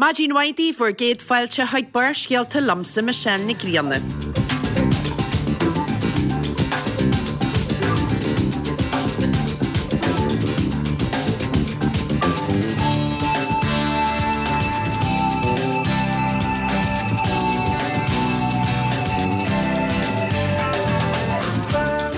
Maidin mhaith daoibh, bhur gcéad fáilte chuig Barrscéalta liomsa Michelle Nic Grianna.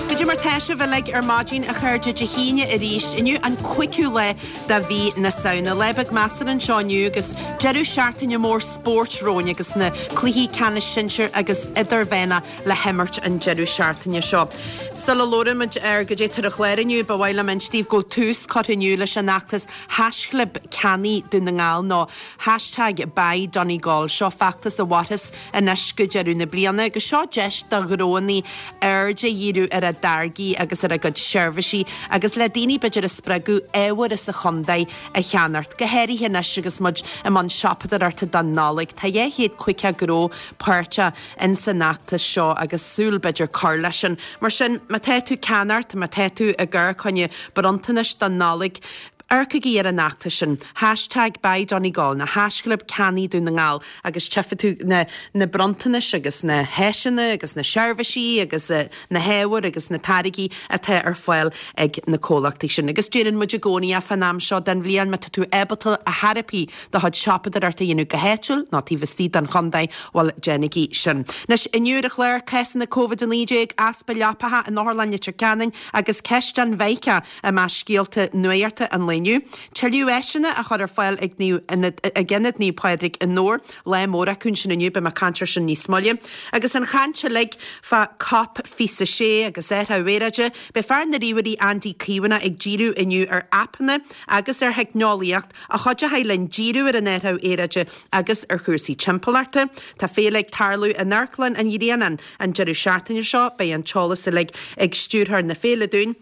Goidé mar tá sibh uilig ar maidin a chairde Dé hAoine arís, inniu an 5ú lá de mhí na Samhna. Lá beag measartha anseo inniu agus deireadh seachtaine mór spóirt romhainn agus na cluichí ceannais sinsir agus idirmheánach le himirt an deireadh seachtaine seo. Sula labhraímid ar goidé tá ar an chlár inniu, ba mhaith liom inse daoibh go bhfuil tús curtha inniu leis an fheachtas haischlib Ceannaigh Dún na nGall nó hashtag Buy Donegal. Seo feachtas a mhairfeas anois go deireadh na bliana agus seo deis do ghnóanna aird a dhíriú ar a dtáirgí agus ar a gcuid seirbhísí agus le daoine b'fhéidir a spreagadh ábhair as an chontae a cheannacht, go háirithe anois agus muid i mbun siopadóireachta don Nollaig. Tá 250 gnó páirteach ins an fheachtas seo agus súil b'fhéidir cur leis sin. Mar sin, má tá tú ag ceannacht, má tá tú ag amharc fá choinne bronntanais don Nollaig, Amharcaigí ar an fheachtas sin, hashtag BuyDonegal nó haischlib Ceannaigh Dún na nGall agus tchífidh tú na na bronntanais agus na háiseanna agus na seirbhísí agus na hábhair agus na táirgí atá ar fáil ag na comhlachtaí sin. Agus deireann muid i gcónaí é fán am seo den bhliain, má tá tú ábalta ar chor ar bith do chuid siopadóireachta a dhéanamh go háitiúil nó taobh istigh den chontae, bhuel, déanaigí sin. Anois, inniu ar an chlár, cásanna Covid-19, easpa leapacha in Otharlann Leitir Ceanainn agus ceist an Mheiceá I measc scéalta nuachta an lae inniu, tuilleadh áiseanna á chur ar fáil ag ag Ionad Naomh Pádraig i nDobhar, lá mór acu ansin inniu, beidh mé ag caint air sin níos moille. Agus an chaint uilig fá Cop 26 agus athrú aeráide, beidh fear na ríomhairí Andy Caomhánach ag díriú inniu ar aipeanna agus ar theicneolaíocht a chuideochaidh linn díriú ar an athrú aeráide agus ar chúrsaí timpeallachta. Tá féile ag tarlú in Amharclann an Ghrianáin an deireadh seachtaine seo, beidh an t-eolas uilig ag stiúrthóir na féile dúinn.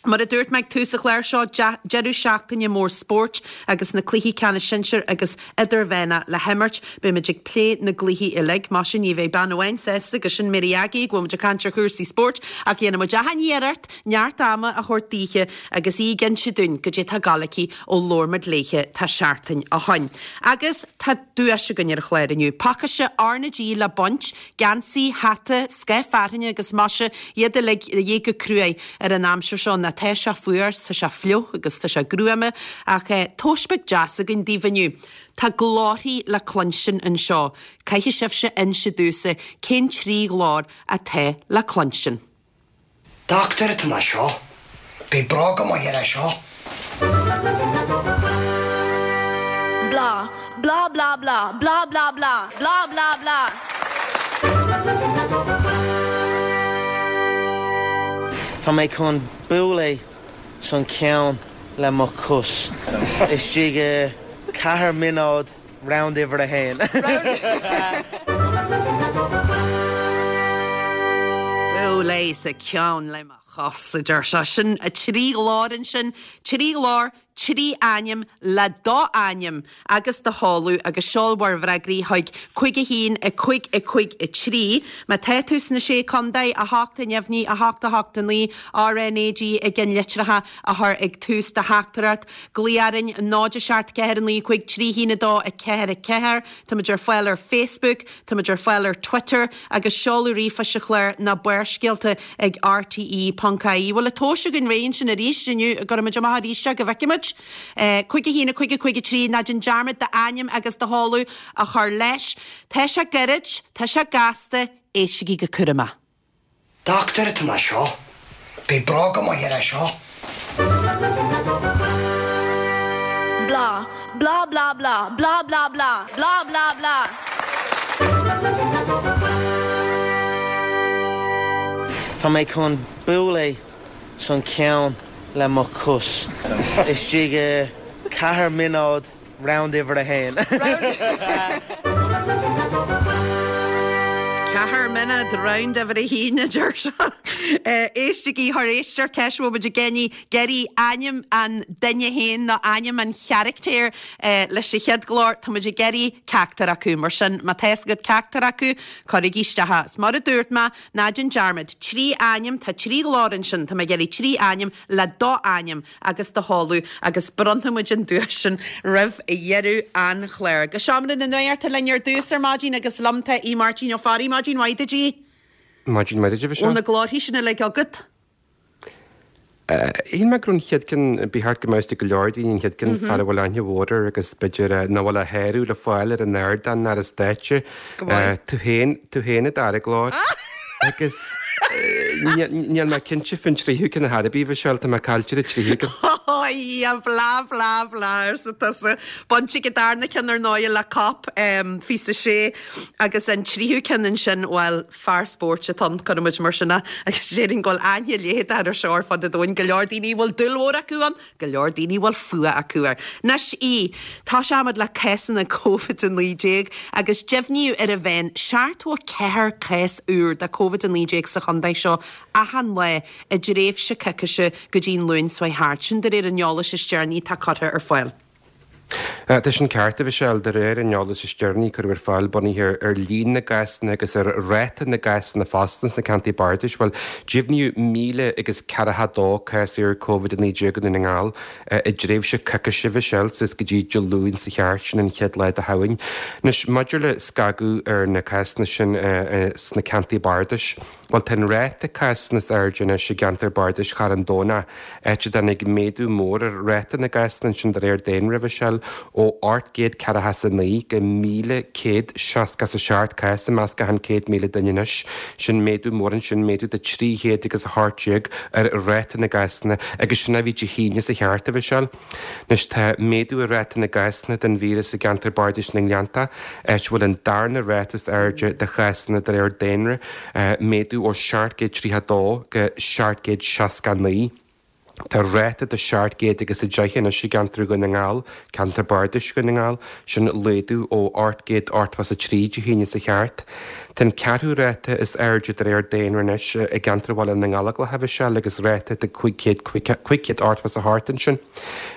Mar a dúirt mé ag tús an chláir seo, deireadh seachtaine mór spóirt agus na cluichí ceannais sinsir agus idirmheánach le himirt. Beimid ag plé na gcluichí uilig. Maise, ní bheidh bean amháin sásta agus sin Mary Aggie go bhfuil muid ag caint ar chúrsaí spóirt ach dhéanfaidh muid achan iarracht neart ama a thabhairt daoithe agus í ag inse dúinn goidé tá ag gabháil aici ó labhair muid léithe tá seachtain ó shoin. Agus tá duais againn ar an chlár inniu, pacáiste RnaG le baint Geansaí, hata, scáth fearthainne agus maise, iad uilig de dhíth go cruaidh ar an aimsir seo ná tá sé fuar 's tá sé fliuch agus tá sé gruama ach tomhas beag deas againn daoibh inniu. Tá glórthaí le cluinstin anseo. Caithfidh sibhse inse domhsa cén 3 ghlór atá le cluinstin. Dochtúir atá ann seo. Beidh bróga maith air seo. Blah, blah blah blah, blah blah blah, blah blah blah. Tá mé chun bualadh san ceann le mo chos istigh i 4 mionóid round uimhir a haon. Bualadh sa ceann le mo chos, a deir sé. Sin 3 ghlór ansin, 3 ghlór, 3 ainm le do ainm agus do sheoladh agus seol bhur bhfreagraí chuig 5 1 5 5 3. Má tá tú sna Sé Contae, 8 a neamhní, 8 8 9, RNAG i gceannlitreacha a chur ag tús do theachtaireacht. Glaoigh orainn 0 7 4 9 5 3 1 2 4 4. Táimid ar fáil ar Facebook, táimid ar fáil ar Twitter agus seoladh ríomhphoist an chláir ná Barrscéalta ag rte ponc ie. Bhfuil an tomhas againn réidh ansin arís inniu? Gcuirfimid amach arís é go bhfeicfimid. 5 1 5 5 3 Ná déan dearmad d'ainm agus do sheoladh a chur leis. Tá sé gairid, tá sé gasta, éistigí go cúramach. Dochtúir atá ann seo. Beidh bróga maith air seo. Blah, blah blah blah, blah blah blah, blah blah blah. Tá mé chun bualadh san ceann le mo chos istigh i 4 mionóid. Round uimhir a haon. 4 mionóid, round uimhir a haon, a deir sé. Éistigí, tar éis ar ceist a bhfuil muid ag iarraidh ainm an duine féin nó ainm an charachtair leis an chéad ghlór, tá muid ag iarraidh ceachtar acu. Mar sin, má tá fhios agat ceachtar acu, cuirigí isteach é. Is mar a dúirt mé, ná déan dearmad, 3 ainm, tá 3 ghlór ansin, tá mé ag iarraidh 3 ainm le do ainm agus do sheoladh agus bronnfaidh muid an duais sin roimh dheireadh an chláir. Go Seomra na Nuachta linn ar dtús ar maidin agus liom tá Aodh Máirtín Ó Fearraigh. Maidin mhaith duit, Aodh. Maidin mhaith duit, a Mhichelle. Bhfuil na glórthaí sin uilig agat? Shíl mé go raibh an chéad ceann, ba cheart go mbeadh fhios ag go leor daoine an chéad ceann, fear a bhfuil aithne mhór air agus b'fhéidir nach bhfuil a shárú le fáil ar an ardán ná ar an stáitse. Go maith. Tú féin, tú féin an dara glór. Agus níl mé cinnte faoin tríú ceann ar chor ar bith, a Mhichelle, tá mé caillte ar an tríú ceann. Ó a Dhia, blah blah blah arsa tusa. Baint ag an darna ceann ar ndóigh le Cop 26 agus an tríú ceann ansin, bhuel, fear spóirt atá ann, cuirfidh muid mar sin é, agus déarfainn go bhfuil aithne léithe air seo ar fud an domhain, go leor daoine a bhfuil dúil mhór acu ann, go leor daoine a bhfuil fuath acu air. Anois, a Aoidh, tosóimid le cásanna Covid-19 agus deimhníodh ar an mheán 74 cás úr de Covid-19 sa chontae seo achan lá i dtréimhse coicíse go dtí an Luan seo thart, sin de réir an eolais is deireanaí atá curtha ar fáil. Tá sin ceart, a Mhichelle. De réir an eolais is deireanaí a cuireadh ar fáil, bunaithe ar líon na gcásanna agus ar ráta na gcásanna fosta sna ceantair bardais, bhuel, deimhníodh 1,000 agus 42 cás úr Covid-19 i nDún na nGall i dtréimhse coicíse, a Mhichelle, suas go dtí Dé Luain seo thart, sin an chéad lá de Shamhain. Anois, maidir le scagadh ar na cásanna sin sna ceantair bardais, Bhuel, tá an ráta cásanna is airde anois i gceantar bardais Charn Domhnach, áit a dtáinig méadú mór ar ráta na gcásanna ansin de réir daonra, a Mhichelle, ó 849 go 1,167 cás i measc achan 100,000 duine anois. Sin méadú mór ansin, méadú de 300 agus 18 ar ráta na gcásanna agus sin a bhí Dé hAoine seo thart, a Mhichelle. Anois tá méadú ar ráta na gcásanna den víreas i gceantar bardais na nGleanntach, áit a bhfuil an darna ráta is airde de chásanna de réir daonra, méadú ó 732 go 769. Tá ráta de 700 agus 10 anois i gceantar Dhún na nGall, ceantar bardais Dhún na nGall, sin laghdú ó 883 Dé hAoine seo thart. Tá an ceathrú ráta is airde de réir daonra anois i gceantar Bhaile na nGallóglach, a Mhichelle, agus ráta de 500, 588 ansin.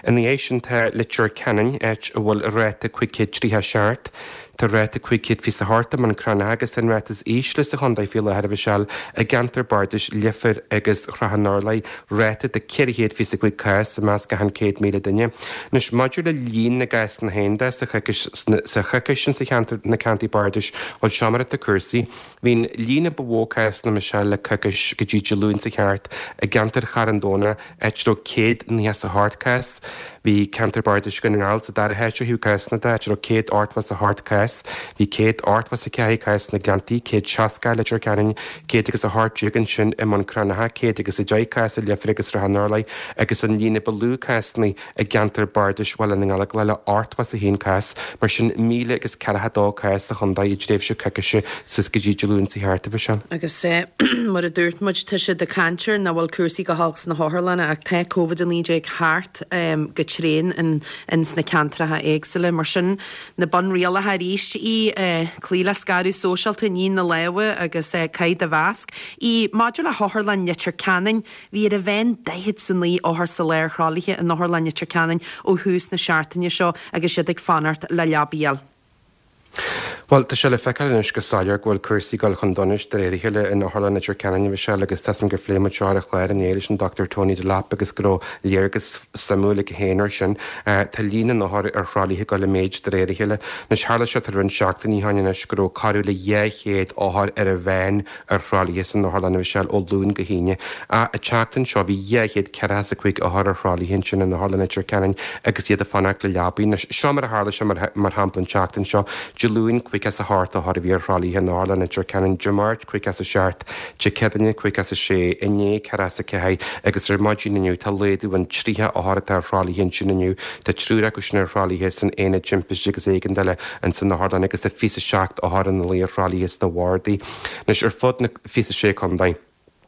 Ina dhiaidh sin tá Leitir Ceanainn, áit a bhfuil ráta 537. Tá ráta 528 i mBun Cranncha agus tá an ráta is ísle sa chontae faoi láthair, a Mhichelle, i gceantar bardais Leifear agus Shrath an Urláir, ráta de 425 cás i measc achan 100,000 duine. Anois, maidir le líon na gcásanna féin de sa choicís, sa choicís sin sa cheantar, na ceantair bardais, bhuel, seo mar atá cúrsaí. Bhí an líon a ba mhó cásanna, a Mhichelle, le coicís go dtí Dé Luain seo thart i gceantar Charn Domhnach, áit a raibh 198 cás. Bhí ceantar bardais Dhún na nGall sa dara háit ó thaobh cásanna de, áit a raibh 188 cás. Bhí 184 cás sna Gleanntaí, 160 i Leitir Ceanainn, 118 ansin i mBun Cranncha, 110 cás i Leifear agus Srath an Urláir agus an líon a ba lú cásanna i gceantar bardais Bhaile na nGallóglach le 81 cás, mar sin 1,042 cás sa chontae i dtréimhse coicíse suas go dtí Dé Luain seo thart, a Mhichelle. Agus mar a dúirt muid, tá siad ag caint ar nach bhfuil cúrsaí go holc sna hotharlanna ach tá Covid-19 thart go tréan in sna ceantracha éagsúla. Mar sin, na bunrialacha arís í, cloí le scaradh sóisialta, nigh na lámha agus caith do mhasc. Í, maidir le hOtharlann Leitir Ceanainn, bhí ar an mheán 49 othar sa lá ar thralaithe in Otharlann Leitir Ceanainn ó thús na seachtaine seo agus iad ag fanacht le leabaí a fháil. Bhuel, tá sé le feiceáil anois go soiléir go bhfuil cúrsaí ag dul chun donais de réir a chéile in Otharlann Leitir Ceanainn, a Mhichelle, agus tá 'fhios a'm gur phléigh muid seo ar an chlár inné leis an Dr Tony Delap agus go raibh léargas suimiúil aige féin air sin. Tá líon na n-othar ar thralaithe ag dul i méid de réir a chéile. Anois, tharla sé tá roinnt seachtainí ó shin anois go raibh corradh le 200 othar ar an mheán ar thralaithe san otharlann, a Mhichelle, ó Luan go hAoine. Ach an tseachtain seo bhí 245 othar ar thralaithe ansin in Otharlann Leitir Ceanainn agus iad ag fanacht le leabaí. Anois, seo mar a tharla sé mar shampla an tseachtain seo, Dé Luain, 58 othar a bhí ar thralaithe in Otharlann Leitir Ceanainn, Dé Máirt, 57, Dé Céadaoine, 56, inné, 44 agus ar maidin inniu tá laghdú ann 30 othar atá ar thralaithe ansin inniu. Tá triúr acu sin ar thralaithe san Aonad Timpiste agus Éigeandála ins an otharlann agus tá 27 othar ina luí ar thralaithe sna bhardaí anois ar fud na 26 contae.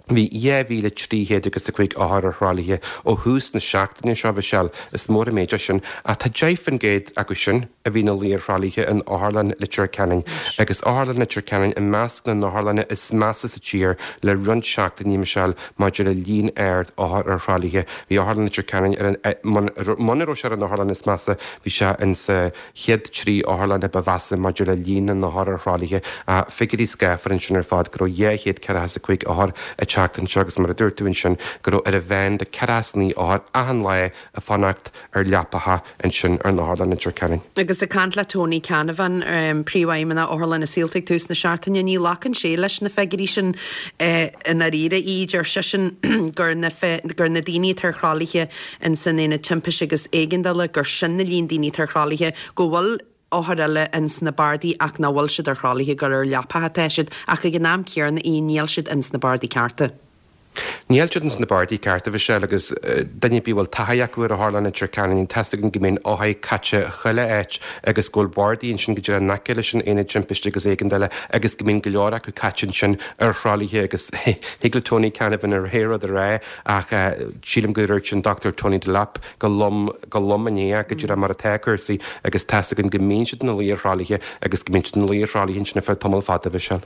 Bhí 2,300 agus 5 othar ar thralaithe ó thús na seachtaine seo, a Mhichelle. Is mór an méid é sin. Ach tá 10% acu sin a bhí ina luí ar thralaithe in Otharlann Leitir Ceanainn. Agus Otharlann Leitir Ceanainn i measc na n-otharlanna is measa sa tír le roinnt seachtainí, Michelle, maidir le líon ard othar ar thralaithe. Bhí Otharlann Leitir Ceanainn ar an, muna raibh sé ar an otharlann is measa, bhí sé insa chéad 3 otharlann a ba mheasa maidir le líon na n-othar ar thralaithe. Figiúirí scáfar ansin ar fad, go raibh 245 othar ag teacht anseo agus mar a dúirt tú ansin, go raibh ar an mheán de 49 othar achan lá ag fanacht ar leapacha ansin ar an otharlann i Leitir Ceanainn. Agus ag caint le Tony Canavan, Príomhfheidhmeannach Otharlann na Saolta ag tús na seachtaine, ní ghlacann sé leis na figiúirí sin i ndáiríre. Deir seisean gur na gur na daoine atá ar thralaithe in san Aonad Timpiste agus Éigeandála gur sin na líon daoine atá ar thralaithe, go bhfuil othair eile ins na bardaí ach nach bhfuil siad ar thralaithe, gur ar leapacha atá siad ach ag an am céanna níl siad ins na bardaí cearta. Níl siad ins na bardaí cearta, a Mhichelle, agus duine ar bith a bhfuil taithí acu ar Otharlann Leitir Ceanainn, tá's againn go mbíonn othair caite chuile áit agus go bhfuil bardaí ansin go díreach in aice leis an Aonad Timpiste agus Éigeandála agus go mbíonn go leor acu caite ansin ar thralaithe agus thig le Tony Canavan a ré rud a rá Ach sílim gur dhúirt an Dr Tony Delap go lom, go lom inné é, go díreach mar atá cúrsaí agus tá's againn go mbíonn siad ina luí ar thralaithe agus go mbíonn siad ina luí ar thralaithe ansin ar feadh tamall fada, a Mhichelle.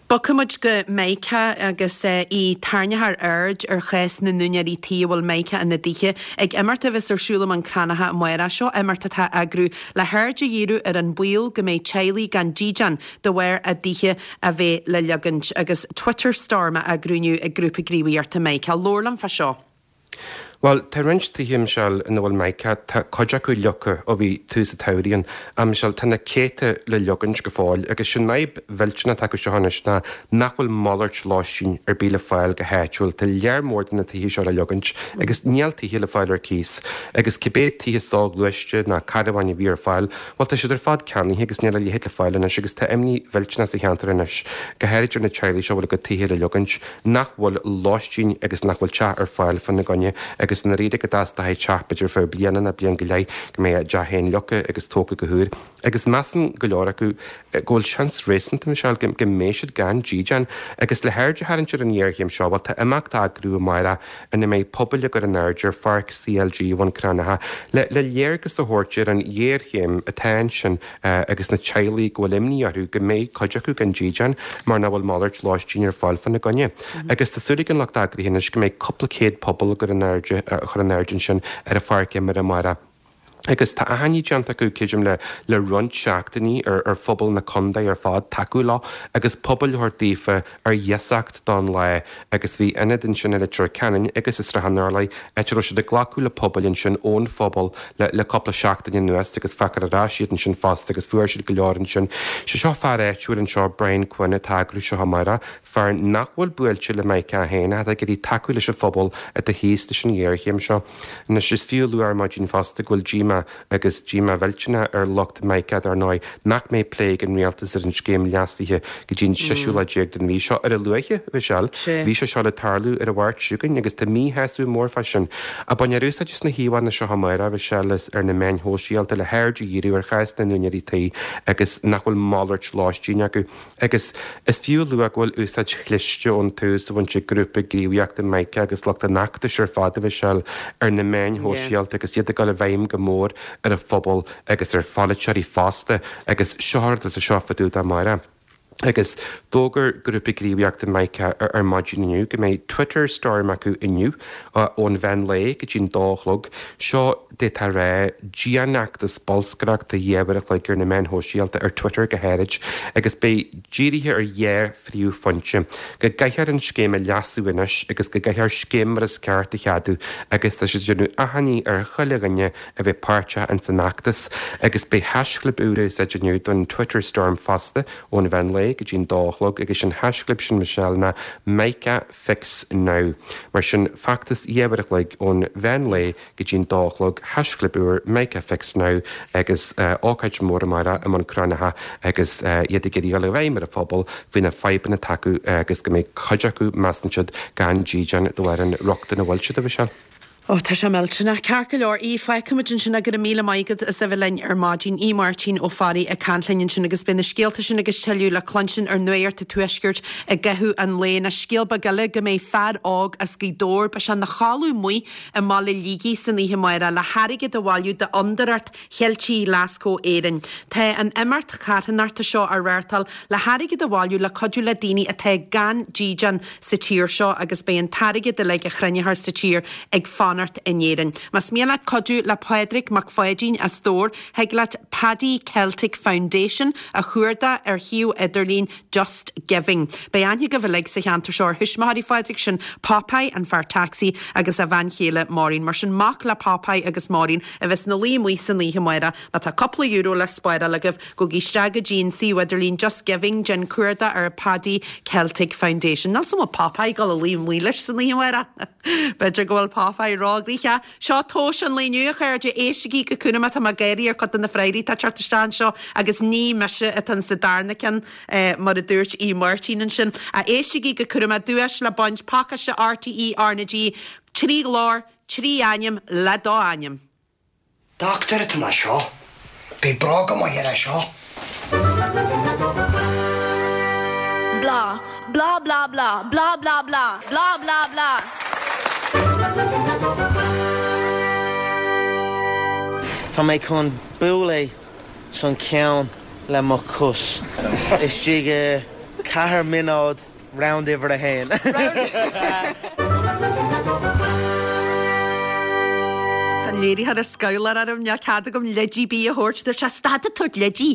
Bogfaidh muid go Meiriceá agus í tarraingtear aird ar chás na n-úinéirí tí a bhfuil Mica ina dtithe. Ag imeacht a bheas ar siúl i mBun Cranncha amárach. Seo imeacht atá á eagrú le haird a dhíriú ar an baol go mbeidh teaghlaigh gan dídean de bharr a dtithe a bheith le leogaint agus Twitter Storm á eagrú inniu ag Grúpa Gníomhaíochta Mica. Labhair liom fá seo. Bhuel, tá roinnt tithe, a Mhichelle, ina bhfuil Mica, tá cuid acu leogtha ó bhí tús an tsamhraidh ann. A Mhichelle, tá na céadta le leogaint go fóill agus sin an fhadhb mhillteanach atá acu seo anois ná nach bhfuil malairt lóistín ar bith le fáil go háitiúil. Tá lear mór de na tithe seo le leogaint agus níl tithe le fáil ar cíos agus cibé tithe soghluaiste ná carabháin a bhí ar fáil, Bhuel, tá siad ar fad ceannaithe agus níl a leithéid le fáil anois agus tá imní mhillteanach sa cheantar anois, go háirid ar na teaghlaigh seo a bhfuil a gcuid tithe le leogaint, nach bhfuil lóistín agus nach bhfuil teach ar fáil fána gcoinne agus i ndáiríre go dteastóidh teach b'fhéidir ar feadh bliana nó bliain go leith go mbeidh a dteach féin leogtha agus tógtha go húr. Agus measann go leor acu go bhfuil seans réasúnta, Michelle, go mbeidh siad gan dídean. Agus le haird a tharraingt ar an ghéarchéim seo, bhuel, tá imeacht á eagrú amárach ina mbeidh pubaill á gcur in airde ar pháirc CLG Bhun Cranncha le le léargas a thabhairt ar an ghéarchéim atá ansin agus na teaghlaigh go bhfuil imní orthu go mbeidh cuid acu gan dídean mar nach bhfuil malairt lóistín ar fáil fána gcoinne. Agus tá súil ag an lucht eagraithe anois go mbeidh cúpla céad puball á gcur in airde á chur in airde ansin ar an pháirc imeartha amárach. Agus tá achainí déanta acu, creidim, le le roinnt seachtainí ar ar phobal na contae ar fad tacú leo agus pubaill a thabhairt daofa ar iasacht don lá agus bhí ionad ansin i Leitir Ceanainn agus i Srath an Urláir áit a raibh siad ag glacadh le pubaill ansin ón phobal le le cúpla seachtain anuas agus feicfear ar ais iad ansin fosta agus fuair siad go leor ansin. Sé seo fear áitiúil anseo, Brian Quinn, atá ag eagrú seo amárach. Fear nach bhfuil buailte le Mica féin ach atá ag iarraidh tacú leis an phobal atá thíos leis an ghéarchéim seo. Anois, is fiú a lua ar maidin fosta go bhfuil díomá, agus díomá mhillteanach, ar lucht Mica, dar ndóigh, nach mbeidh plé ag an Rialtas ar an scéim leasaithe go dtí an seisiú lá déag den mhí seo. Ar a luaithe, a Mhichelle, bhí sé seo le tarlú ar an Mháirt seo chugainn agus tá míshásamh mór fá sin. Ach bainfear úsáid as na híomhánna seo amárach, a Mhichelle, ar na meáin shóisialta le haird a dhíriú ar chás na n-úinéirí tí agus nach bhfuil malairt lóistín acu. Agus is fiú a lua go bhfuil úsáid chliste ón tús á bhaint ag grúpa gníomhaíochta Mica agus lucht an fheachtais ar fad, a Mhichelle, ar na meáin shóisialta agus iad ag dul i bhfeidhm go mór ar an phobal agus ar pholaiteoirí fosta agus seo rud atá seo fá dtaobh de amárach. Agus d'fhógair grúpa gníomhaíochta Mica ar maidin inniu go mbeidh Twitter Storm acu inniu ón mheán lae go dtí an dó a chlog. Seo d'fhéadfá a rá, dianfheachtas bolscaireachta dhá uair a chloig ar na meáin shóisialta, ar Twitter go háirid, agus beidh dírithe ar dhá phríomhphointe, go gcaithfear an scéim a leasú anois agus go gcaithfear scéim mar is ceart a cheadú agus tá siad ag déanamh achainí ar chuile dhuine a bheith páirteach ins an fheachtas agus beidh haischlib úr á úsáid inniu don Twitter Storm fosta ón mheán lae go dtí an dó a chlog agus an haischlib sin Michelle ná Mica Fix Now. Mar sin, feachtas dhá uair a chloig ón mheán lae go dtí an dó a chlog, haischlib úr, Mica Fix Now, agus ócáid mhór amárach i mBun Cranncha agus iad ag iarraidh dul i bhfeidhm ar an phobal faoi na fadhbanna atá acu agus go mbeidh cuid acu, measann siad, gan dídean de bharr an rochtain a bhfuil siad, a Mhichelle. Ó, tá sé millteanach. Ceart go leor, Aodh, fágfaimid ansin é. Go raibh míle maith agat as a bheith linn ar maidin. Aodh Máirtín Ó Fearraigh ag caint linn ansin agus beidh na scéalta sin agus tuilleadh le cluinstin ar Nuacht an Tuaiscirt i gcaitheamh an lae. Anois, scéal beag eile go mbeidh fear óg as Gaoth Dobhair, beidh sé ina chodladh amuigh i mBaile Shligigh san oíche amárach le hairgead a bhailiú d'Fhondúireacht Cheiltigh Ghlasgow Éireann. Tá an imeacht charthanachta seo á reáchtáil le hairgead a bhailiú le cuidiú le daoine atá gan dídean sa tír seo agus beidh an t-airgead uilig a chruinneofar sa tír ag fanacht in Éirinn. Más mian leat cuidiú le Pádraig Mac Pháidín as Dobhar, thig leat Paddy Celtic Foundation a chuardach ar shuíomh idirlín Just Giving. Beidh aithne agaibh uilig sa cheantar seo ar thuismitheoirí Phádraig, sin Popeye, an fear tacsaí, agus a bhean chéile Maureen. Mar sin, mac le Popeye agus Maureen a bheas ina luí amuigh san oíche amárach. Má tá cúpla euro le spáráil agaibh, gabhaigí isteach go dtí an suíomh idirlín Just Giving, déan cuardach ar Paddy Celtic Foundation. Níl 's a'm an bhfuil Popeye ag dul a luí amuigh leis san oíche amárach. B'fhéidir go bhfuil Popeye róghnoitheach. Seo tomhas an lae inniu, a chairde. Éistigí go cúramach, tá mé ag gáirí ar chuid de na freagraí atá ag teacht isteach anseo agus ní mise atá sa darna ceann, mar a dúirt Aodh Máirtín ansin. Éistigí go cúramach, duais le baint, pacáiste RTÉ RnaG, 3 ghlór, 3 ainm le do ainm. Dochtúir atá ina seo. Beidh bróga maith air seo. Blah blah blah blah blah blah blah blah blah blah. Tá mé chun bualadh san ceann le mo chos istigh i 4 mionóid Round uimhir a haon. Tá an léiritheoir ag scabhláil orm, níl cead agam leidí ar bith a thabhairt. Dúirt sé, stad ag tabhairt leidí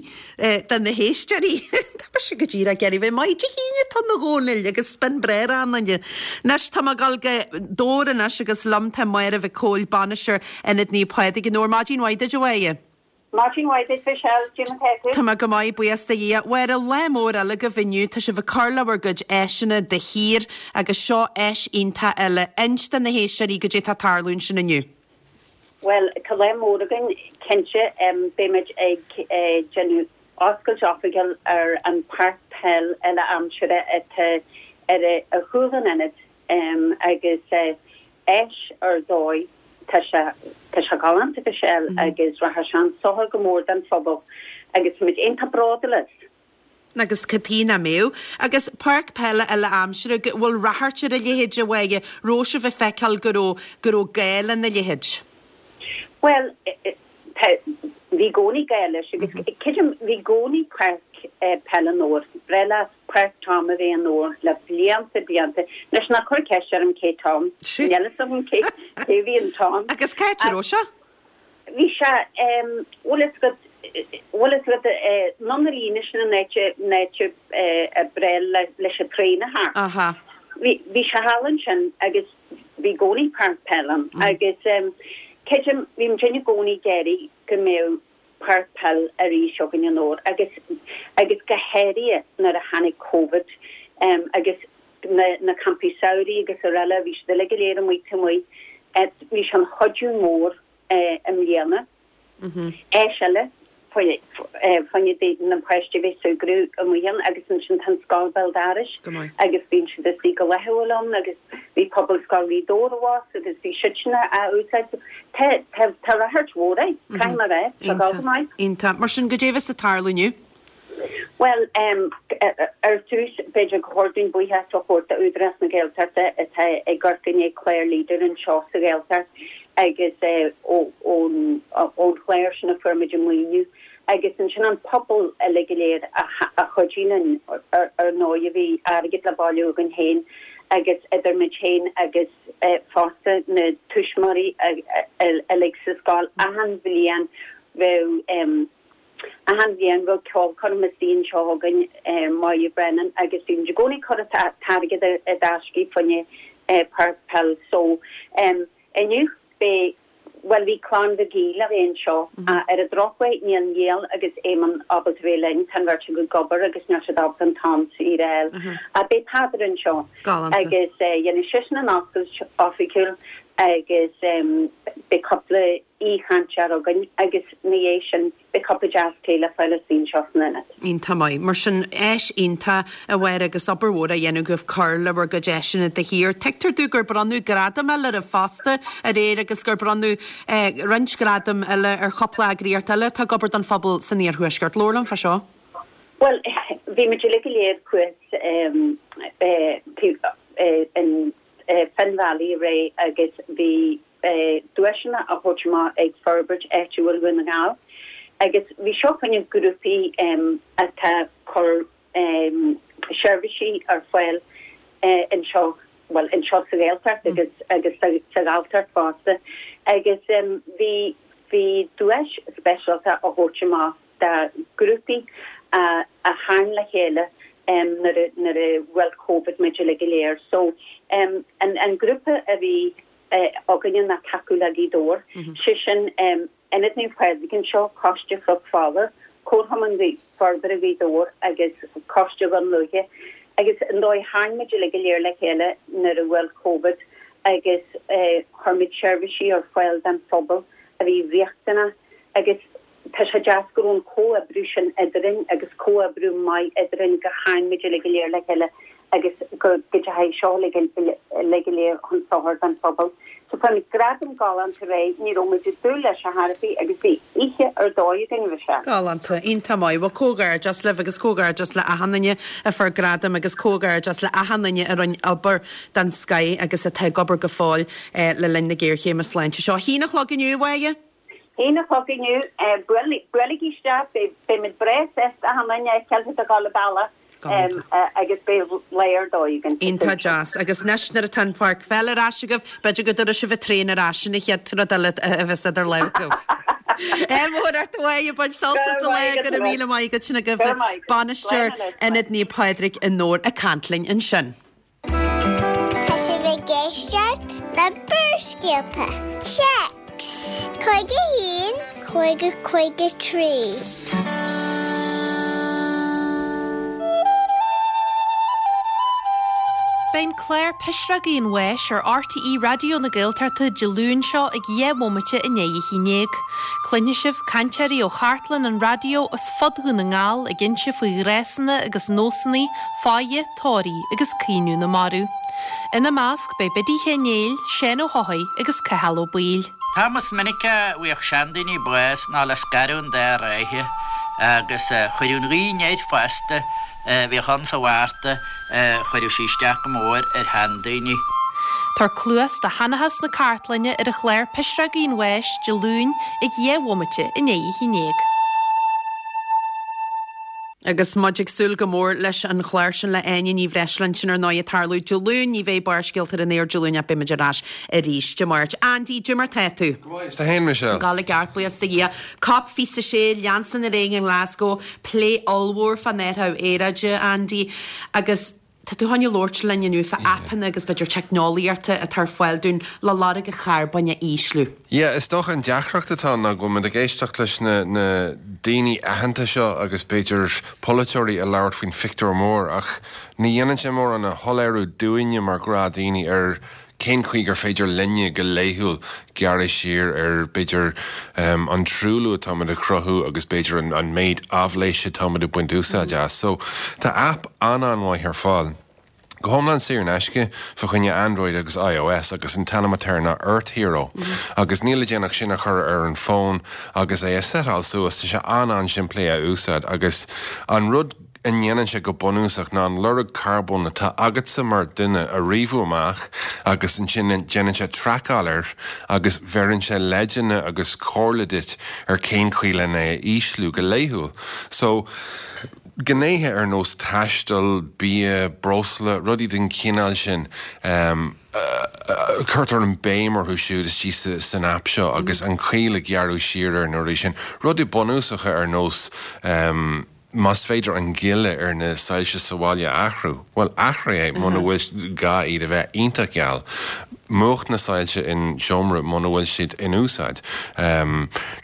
do na héisteoirí. Tá mise go díreach ag iarraidh bheith maith. Dé hAoine atá ann a Dhónaill agus b'in breá ar an duine. Anois tá mé ag dul go Dobhar anois agus liom tá Máire Mhic Cóil, bainisteoir Ionad Naomh Pádraig i nDobhar. Maidin mhaith duit a Mháire. Maidin mhaith duit Michelle, cad é mar atá tú? Tá mé go maith, buíochas do Dhia. Mháire, lá mór eile agaibh inniu, tá sibh ag cur le bhur gcuid áiseanna de shíor agus seo áis iontach eile. Inis do na héisteoirí goidé tá ag tarlú ansin inniu. Bhuel, tá lá mór againn, cinnte. Beimid ag déanamh oscailt oifigiúil ar an páirc peil uile-aimsire atá ar chúl an ionaid agus áis ar dóigh. Tá sé, tá sé galánta Michelle agus rachaidh sé chun sochair go mór don phobal agus táimid iontach bródúil as. Agus cad chuige nach mbeadh? Agus páirc peile uile-aimsire, go bhfuil ráchairt ar a leithéid a Mháire, raibh sibh ag feiceáil go raibh, go raibh gá lena leithéid? Bhuel, Tá, bhí i gcónaí gá leis agus creidim, bhí i gcónaí páirc peile i nDobhar. Breá leat Páirc Tom a bheith i nDobhar le blianta, blianta. Anois ná cuir ceist orm cé Tom. Níl fhios agam cé, cé bhí in Tom. Agus cá háit a raibh sé? Bhí sé, bhfuil fhios agat, bhfuil fhios agat, anonn an líne sin an áit, an áit a breá leis an traein a theacht. Aha. Bhí, bhí sé thall ansin agus Bhí i gcónaí páirc peile ann agus creidim, bhí muid i gcónaí ag iarraidh go mbeadh páirc peile arís againn i nDobhar agus agus go háirithe nuair a tháinig Covid agus na na campaí samhraidh agus araile, bhí siad uilig go léir amuigh taobh amuigh. Bhí sé ina chuidiú mór i mbliana. Áis eile fá choinne na páistí a bheith ag súgradh amuigh ann agus ansin tá an scoil béal dorais agus bíonn siad istigh go laethúil ann agus bhí Pobalscoil Ghaoth Dobhair abhus agus bhí siadsan á úsáid. Tá tá tá ráchairt mhór air, caithfidh mé a rá, tá ag dul go maith. Iontach. Mar sin, goidé a bheas ag tarlú inniu? Bhuel, ar dtús, b'fhéidir gur chóir dúinn buíochas a thabhairt d'Údarás na Gaeltachta atá ag amharc i ndiaidh clár Leader anseo sa Ghaeltacht agus ón chlár sin a fuair muid an maoiniú agus ansin an pobal uilig go léir a chuidigh linn. Ar ndóigh bhí airgead le bailiú againn féin agus idir muid féin agus fosta na tuismitheoirí uilig sa scoil achan bhliain bheadh Achan bhliain bheadh ceolchoirm istigh anseo againn, Máire Brennan, agus bhí muid i gcónaí ag cur an t-airgead i dtaisce fá choinne páirc peil. So, inniu beidh, bhuel bhí Clann Mhig Aoidh le bheith anseo ach ar an drochuair níl Niall agus Éamonn ábalta bheith linn, tá an bheirt acu ag obair agus níl siad ábalta an t-am saor a fháil. Ach beidh Peadar anseo agus dhéanfaidh seisean an oscailt oifigiúil agus beidh cúpla. aoichainteoir againn agus ina dhiaidh sin beidh cupa deas tae le fáil istigh anseo san ionad. Iontach maith. Mar sin, áis iontach, a Mháire, agus obair mhór á dhéanamh agaibh cur le bhur gcuid áiseanna de shíor. Tuigtear domh gur bronnadh gradam eile oraibh fosta aréir agus gur bronnadh roinnt gradam eile ar chúpla eagraíocht eile atá ag obair don phobal san iarthuaisceart. Labhair liom fá seo. Bhuel, bhí muid uilig go léir thuas in Finn Valley aréir agus bhí duaiseanna á thabhairt amach ag Forbairt Áitiúil Dhún na nGall agus bhí seo fá choinne grúpaí atá ag cur seirbhísí ar fáil anseo, bhuel anseo sa Ghaeltacht agus agus sa Ghalltacht fosta agus bhí bhí duais speisialta á thabhairt amach do ghrúpaí a tharraing le chéile nuair a nuair a bhuail Covid muid uilig go léir. So an an grúpa a bhí againne ná Tacú le Gaoth Dobhair, sé sin Ionad Naomh Pádraig anseo, Coiste Chnoc Fola, Comharchumann Forbartha Ghaoth Dobhair agus Coiste Dhún Lúiche agus an dóigh a tharraing muid uilig go léir le chéile nuair a bhuail Covid agus chuir muid seirbhísí ar fáil don phobal a bhí riachtanach agus Tá sé deas go raibh an comhoibriú sin eadrainn agus comhoibriú maith eadrainn go tharraing muid uilig go léir le chéile agus go dteachaigh seo uilig go léir chun sochair don phobal. So fuair muid gradam galánta aréir, ní raibh muid ag dúil leis ar chor ar bith agus bhí oíche ar dóigh againn a Mhichelle. Galánta. Iontach maith. Bhuel comhghairdeas libh agus comhghairdeas le achan duine a fuair gradam agus comhghairdeas le achan duine a rinne obair den scoith agus atá ag obair go fóill le linn na géarchéime sláinte seo. A haon a chlog inniu, a Mháire? Haon a chlog inniu, buailigí isteach, beimid breá sásta achan duine a fheiceáil ag dul an bealach agus beidh lá ar dóigh againn. Iontach deas. Agus anois nuair atá an pháirc pheile ar ais agaibh, b'fhéidir go dtabharfaidh sibh an traein ar ais, an chéad rud eile a bheas idir lámha agaibh. Ádh mór ort a Mháire, bain sult as an lá, go raibh míle maith agat sin agaibh. Bainisteoir Ionad Naomh Pádraig i nDobhar ag caint linn ansin. Tá sibh ag éisteacht le Barrscéalta. Téacs 51 50 53. Beidh an clár Pisreogaí an Bháis ar RTÉ Raidió na Gaeltachta Dé Luain seo ag 11 bhomaite i ndiaidh a haon dhéag. Cluinfidh sibh cainteoirí ó chartlann an raidió as fud Dhún na nGall ag inse faoi ghnásanna agus nósanna, fáidhe, tórraimh agus caoineadh na marbh. Ina measc beidh Biddy Chéin Néill, Seán Ó hEochaidh agus Cathal Ó Baoill. T-am is minice a bhíodh seandaoine bás ná le scaradh an dá ráithe agus chuireadh an ghaoth anoir fosta a bhíodh ann sa Mhárta, chuireadh sí isteach go mór ar sheandaoine. Tabhair cluas do sheanchas na cartlainne ar an chlár Pisreogaí an Bháis, Dé Luain ag 12 bhomaite i ndiaidh a haon dhéag. Agus muid ag súil go mór leis an chlár sin le Áine Ní Bhreisleáin, sin ar ndóigh ag tarlú Dé Luain, ní bheidh Barrscéalta ar an aer Dé Luain ach beidh muid ar ais arís Dé Máirt. Andy, cad é mar tá tú? Go maith, is tú féin Michelle? Ag gabháil i gceart, buíochas do Dhia. Cop 26, leansan ar aghaidh i nGlasgow, plé ollmhór fán athrú aeráide, Andy, agus tá tú chun labhairt linn inniu fá aipeanna agus b'fhéidir teicneolaíochta atá ar fáil dúinn le lorg an charbóin a ísliú. Yeah, is dócha an deacracht atá ann ná go bhfuil muid ag éisteacht leis na na daoine aitheanta seo agus b'fhéidir polaiteoirí ag labhairt faoin phictiúr mór ach ní dhéanann sé mórán a shoiléiriú dúinne mar ghnáthdhaoine ar cén chaoi gur féidir linne go laethúil gearradh siar ar b'fhéidir an truailliú atáimid a chruthú agus b'fhéidir an méid aibhléise atáimid ag baint úsáid as. So tá aip an-an-mhaith ar fáil, go hiomlán saor in aisce, fá choinne Android agus iOS agus an t-ainm atá air ná Earth Hero agus níl le déanamh ach sin a chur ar an bhfón agus é a seiteáil suas, tá sé an-an-simplí a úsáid agus an rud a ndéanann sé go bunúsach ná an lorg carbóin atá agatsa mar dhuine a ríomhú amach agus ansin déanann sé traiceáil air agus bheireann sé leideanna agus comhairle duit ar cén chaoi len é a ísliú go laethúil. So, gnéithe ar nós taisteal, bia, breosla, rudaí den chineál sin, cuirtear an béim orthu siúd istigh san aip seo agus an chaoi le gearradh siar ar na rudaí sin. Rudaí bunúsacha ar nós. Más féidir an gile ar na soilse sa bhaile a athrú, bhuel, athraigh é muna bhfuil gá iad a bheith iontach geal. Múch na soilse in seomra muna bhfuil siad in úsáid.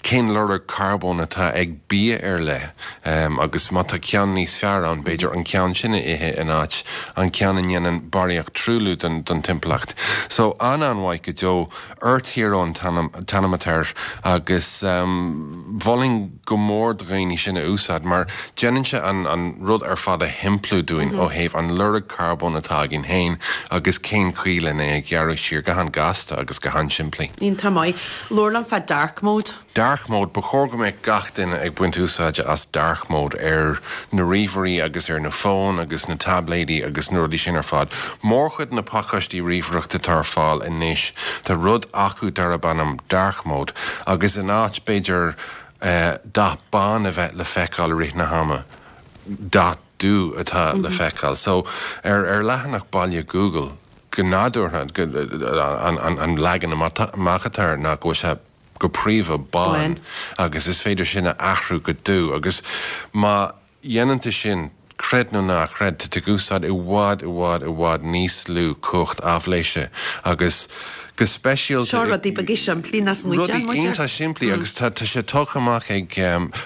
Cén lorg carbóin atá ag bia ar leith agus má tá ceann níos fearr ann, b'fhéidir an ceann sin a ithe in áit an ceann a ndéanann barraíocht truailliú don timpeallacht. So, an-an-mhaith go deo. Earth Hero an t-ainm atá air agus mholfainn go mór do dhaoine sin a úsáid mar déanann sé an rud ar fad a shimpliú dúinn ó thaobh an lorg carbóin atá againn féin agus cén chaoi len é a ghearradh siar go han-gasta agus go han-simplí. Iontach maith. Labhair liom fá dark mode. Dark mode, ba chóir go mbeadh gach duine ag baint úsáide as dark mode ar na ríomhairí agus ar na fóin agus na taibléidí agus na rudaí sin ar fad. Mórchuid na pacáistí ríomhaireachta atá ar fáil anois, tá rud acu darb ainm dark mode agus in áit b'fhéidir dath bán a bheith le feiceáil i rith na hama, dath dubh atá le feiceáil. So ar ar leathanach baile Google, go nádúrtha, an leagan amach atá air ná go bhfuil sé go príomha bán agus is féidir sin a athrú go dubh agus má dhéanann tú sin, creid nó ná creid, tá tú ag úsáid i bhfad, i bhfad, i bhfad níos lú cumhacht aibhléise agus go speisialta Seo rudaí beaga simplí nach smaoitíonn muid air. Rudaí iontach simplí agus tá sé tugtha amach ag,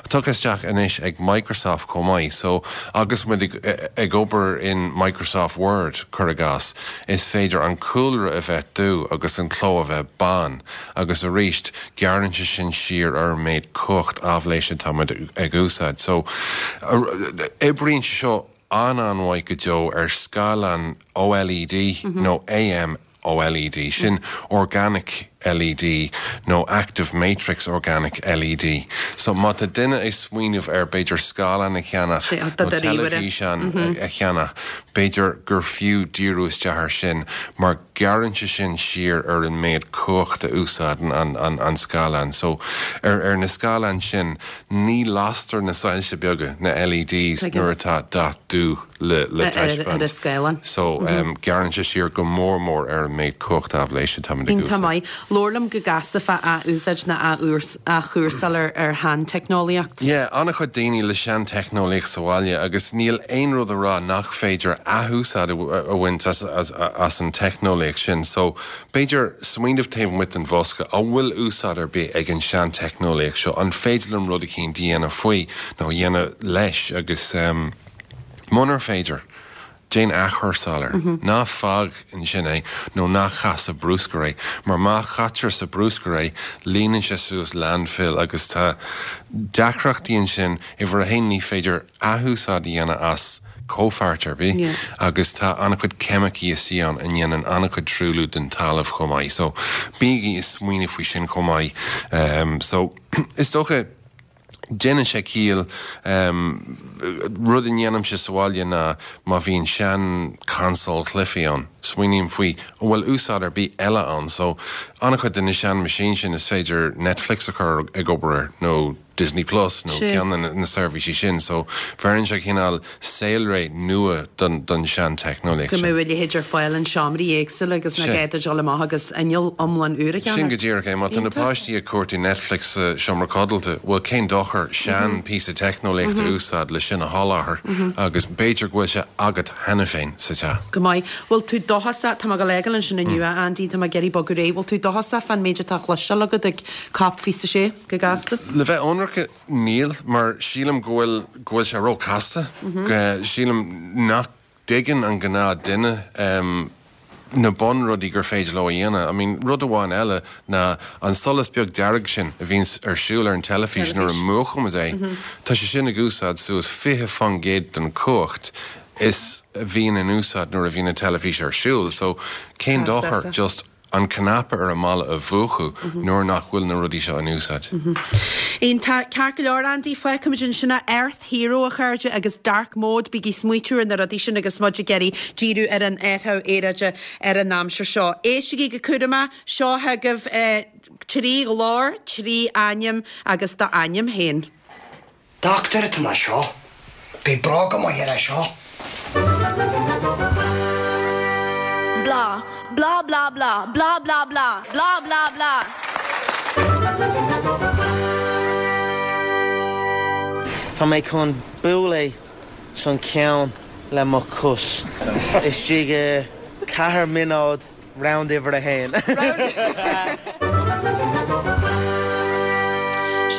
tugtha isteach anois ag Microsoft chomh maith so agus muid ag ag obair in Microsoft Word, cuir i gcás, is féidir an cúlra a bheith dubh agus an cló a bheith bán. Agus arís, gearrann sé sin siar ar an méid cumhacht aibhléise atá muid ag úsáid. So, oibríonn sé seo an-an-mhaith go deo ar scáileán OLED nó AMOLED, sin Organic LED nó Active Matrix Organic LED. So, má tá duine ag smaoineamh ar b'fhéidir scáileán a cheannach nó teilifíseán a cheannach, b'fhéidir gur fiú díriú isteach ar sin mar Gearrann sé sin siar ar an méid cumhacht a úsáideann an scáileán. So, ar na scáileáin sin, ní lastar na soilse beaga, na LEDs, nuair atá dath dubh le taispeáint. So, gearrann sé siar go mór mór ar an méid cumhacht aibhléise atá muid ag úsáid. Iontach maith. Labhair liom go gasta fá athúsáid nó athchúrsáil ar sheanteicneolaíocht. Yeah, an-chuid daoine le seanteicneolaíocht sa bhaile agus níl aon rud a rá nach féidir athúsáid a bhaint as an teicneolaíocht sin. So, b'fhéidir smaoineamh taobh amuigh den bhosca, an bhfuil úsáid ar bith ag an seanteicneolaíocht seo? An féidir liom rud eicínt a dhéanamh faoi nó a dhéanamh leis agus munar féidir, Déan athchúrsáil air. Ná fág ansin é nó ná caith sa bhrúscar é, mar má chaitear sa bhrúscar é, líonann sé suas landfill agus tá deacrachtaí ansin. Uimhir a haon, ní féidir athúsáid a dhéanamh as comhpháirt ar bith agus tá an-chuid ceimicí istigh ann a ndéanann an-chuid truailliú don talamh chomh maith. So, bígí ag smaoineamh faoi sin chomh maith. So, is dócha. Déanann sé ciall. Rud a ndéanaimse sa bhaile ná má bhíonn sean console cluichí ann, smaoiním faoi an bhfuil úsáid ar bith eile ann. So, an-chuid de na sean machines sin is féidir Netflix a chur ag obair air nó Disney Plus nó ceann de na seirbhísí sin. So, bheireann sé cineál saolré nua don sean-teicneolaíocht Go sin. mbeadh a leithéid ar fáil in seomraí éagsúla agus nach gá duit dul amach agus inneall iomlán úr a cheannach. Sin go díreach é. Má tá na páistí ag cuartú Netflix sa seomra codlata, bhuel cén dochar sean píosa teicneolaíochta a úsáid le sin a sholáthar agus b'fhéidir go bhfuil sé agat cheana féin sa teach. Go maith. Bhfuil tú dóchasach, tá mé ag dul a fhágáil ansin inniu a Andy, tá mé ag iarraidh bogadh ar aghaidh, bhfuil tú dóchasach fán méid atá á chloisteáil agat ag Cop 26 go gasta? Le bheith ionraic, Níl, mar sílim go bhfuil, go bhfuil sé ró-chasta. Sílim nach dtuigeann an gnáth duine na bunrudaí gur féidir leo a dhéanamh. I mean, rud amháin eile ná an solas beag dearg sin a bhíonns ar siúl ar an teilifís nuair a mhúchaimid é, tá sé sin ag úsáid suas 20% den chumhacht is a bhíonn in úsáid nuair a bhíonn an teilifís ar siúl. So, cén dochar just an cnaipe ar an mballa a mhúchadh nuair nach bhfuil na rudaí seo in úsáid. Iontach. Ceart go leor, Andy, fágfaimid ansin é. Earth Hero, a chairde, agus Dark Mode, bígí ag smaoitiú ar na rudaí sin agus muid ag iarraidh díriú ar an athrú aeráide ar an aimsir seo. Éistigí go cúramach, seo chugaibh trí ghlór, trí ainm agus d'ainm féin. Dochtúir atá ina seo. Beidh bróga maith air seo. Blah blah blah blah blah blah blah blah blah blah. Tá mé chun bualadh san ceann le mo chos. Istigh i 4 mionóid. Round uimhir a haon.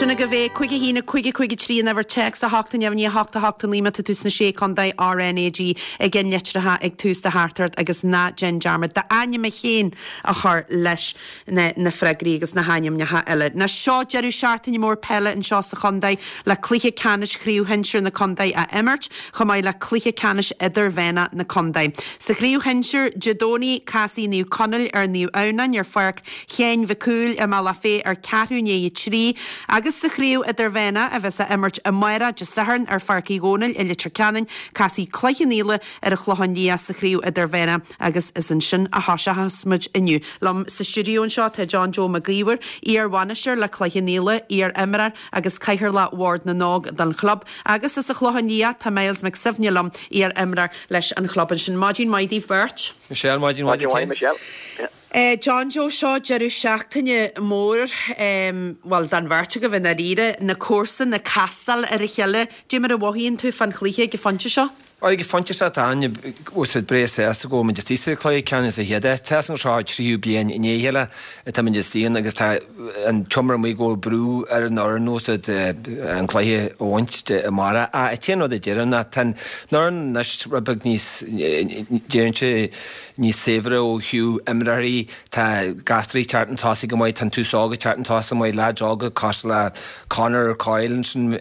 Sin agaibh é, 5 1 5 5 3 an uimhir téacs, 8 0 9 8 8 9 má tá tú sna Sé Contae, RnaG ag an litreacha ag tús do theachtaireacht agus ná déan dearmad d'ainm féin a chur leis. na freagraí agus na hainmneacha eile. Ná seo deireadh seachtaine mór peile anseo sa chontae le cluiche ceannais Chraobh Shinsir na Contae á imirt, chomh maith le cluiche ceannais idirmheánach na contae. Sa chraobh shinsir, Dé Domhnaigh, casfaidh Naomh Conaill ar Naomh Adhamhnáin ar Pháirc Sheáin Mhic Cumhaill i mBealach Féich ar ceathrú i ndiaidh a 3 agus sa chraobh idirmheánach, a bheas á imirt amárach, Dé Sathairn, ar Pháirc Uí Dhónaill i Leitir Ceanainn, casfaidh Cloich Cheann Fhaola ar an Chlochán Liath sa chraobh idirmheánach agus is ansin a thoiseochas muid inniu. Liom sa stiúideo anseo tá John Joe Mac Íomhair, iar-bhainisteoir le Cloich Cheann Fhaola, iar-imreoir agus Cathaoirleach Bhord na nÓg don chlub, agus as an Chlochán Liath tá Myles Mac Suibhne liom, iar-imreoir leis an chlub ansin. Maidin mhaith daoibh beirt. Michelle, Maidin mhaith duit. Maidin mhaith, Michelle. John Joe, seo deireadh seachtaine mór, bhuel, don bheirt agaibh i ndáiríre, na comharsana ag castáil ar a chéile. Dé mar a mhothaíonn tú fán chluiche ag an phointe seo? Bhuel, ag an phointe seo tá an, bhfuil siad breá sásta go bhfuil muid istigh sa chluiche ceannais sa chéad áit. Tá an seo tríú bliain i ndiaidh a chéile atá muid istigh ann agus tá an t-iomrá amuigh go bhfuil brú ar an fhoireann bhfuil siad an cluiche a bhaint amárach. Ach an t-aon rud a deirim ná tá an fhoireann anois rud beag níos, deirimse, níos saibhre ó thaobh imreoirí, tá gasúraí ag teacht chun tosaigh go maith, tá an tús óg ag teacht chun tosaigh go maith, leaids óga cosúil le Conor Coyle ansin,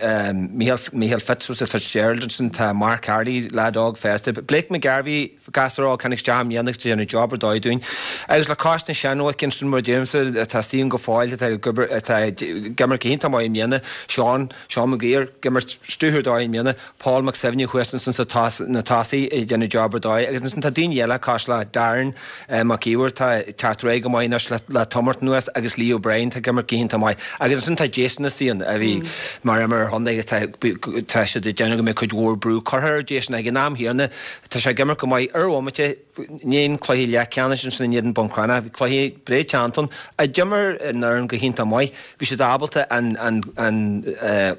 Micheál, Micheál Fitz, Joseph Fitzgerald ansin, tá Mark Harley, leaid óg fosta, Blake McGarvey, gasúr óg tháinig isteach i mbliana agus tá déanamh job ar dóigh dúinn. Agus le cois na seanbhoic ansin mar a deirimse, atá istigh ann go fóill, atá ag obair, atá ag imirt go hiontach maith i mbliana, Seán, Seán Maguire, ag imirt stiúthar dóigh i mbliana, Paul Mac Suibhne thuas ansin sa na tosaí ag déanamh job ar dóigh agus ansin tá daoine eile cosúil le Darren Mac Íomhair atá ag teacht ar aghaidh go maith anois le tamall anuas agus Lee O'Brien atá ag imirt go hiontach maith agus ansin tá Jason istigh ann a bhí mar imreoir chontae agus tá tá siad ag déanamh go mbeidh cuid mhór brú curtha ar Jason ag an am chéanna tá sé ag imirt go maith ar bhomaite i ndiaidh an cluiche leathcheannais ansin in éadan Bun Cranncha bhí cluiche breá teannta ann a d'imir an fhoireann go hiontach maith bhí siad ábalta an an an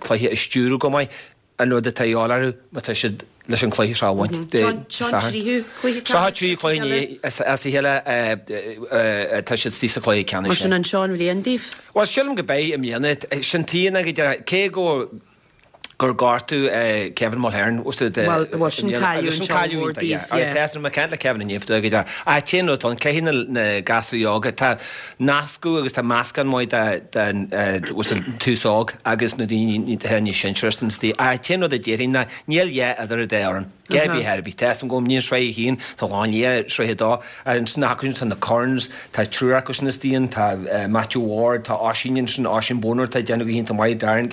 cluiche a stiúradh go maith an rud atá a dhíobháil orthu má tá siad leis an chluiche seo a bhaint Dé Sathairn. Seo an tríú cluiche as a chéile atá siad istigh sa chluiche ceannais. Mar sin an seo an bhliain daoibh? Bhuel, sílim go beidh i mbliana. Sin t-aon ag deireadh. Cé go gur gortú Kevin Mulhern Bhuel, sin cailleadh mór daoibh. Agus tá mé ag caint le Kevin inniu ag deireadh. Ach t-aon rud ann, caithfidh na gasúraí óga, tá nascadh agus tá meascán maith den tús óg agus na daoine atá níos sinsearaí san istigh. Ach an t-aon rud a déarfainn ná níl a dhath idir an dá fhoireann. Ar bith ar bith. Tá a fhios agam go mbíonn sraith a haon, tá Clochán Liath, sraith a dó. Ansin acu sin tá na Currans, tá triúr acu sin istigh ann, tá Matthew Ward, tá Oisín ansin, Oisín Bonner atá ag déanamh go hiontach maith, Darren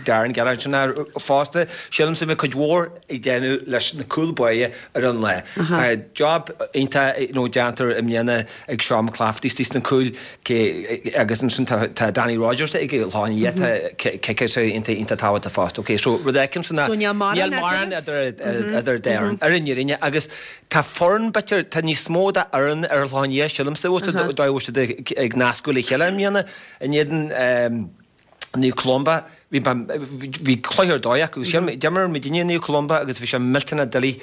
Darren Gallagher ansin fosta. Sílimse go mbeidh cuid mhór ag déanamh leis na cúl báire ar an lá. Tá job iontach you know déanta i mbliana ag Seán McClafferty istigh sna cúil cé agus ansin tá tá Danny Rogers ag an Chlochán Liath tá ciceáil sé iontach iontach tábhachtach fosta. Ok so rud a fheicimse ná So níl mórán níl mórán idir idir dá fhoireann ar an fhírinne agus tá foireann b'fhéidir tá níos mó de fhoireann ar an Chlochán Liath sílimse bhfuil siad dóigh bhfuil siad ag ag nascadh le chéile i mbliana in éadan Naomh Columba, bhí bhí cluiche ar dóigh acu. D'imir muidinne Naomh Columba agus bhí sé millteanach doiligh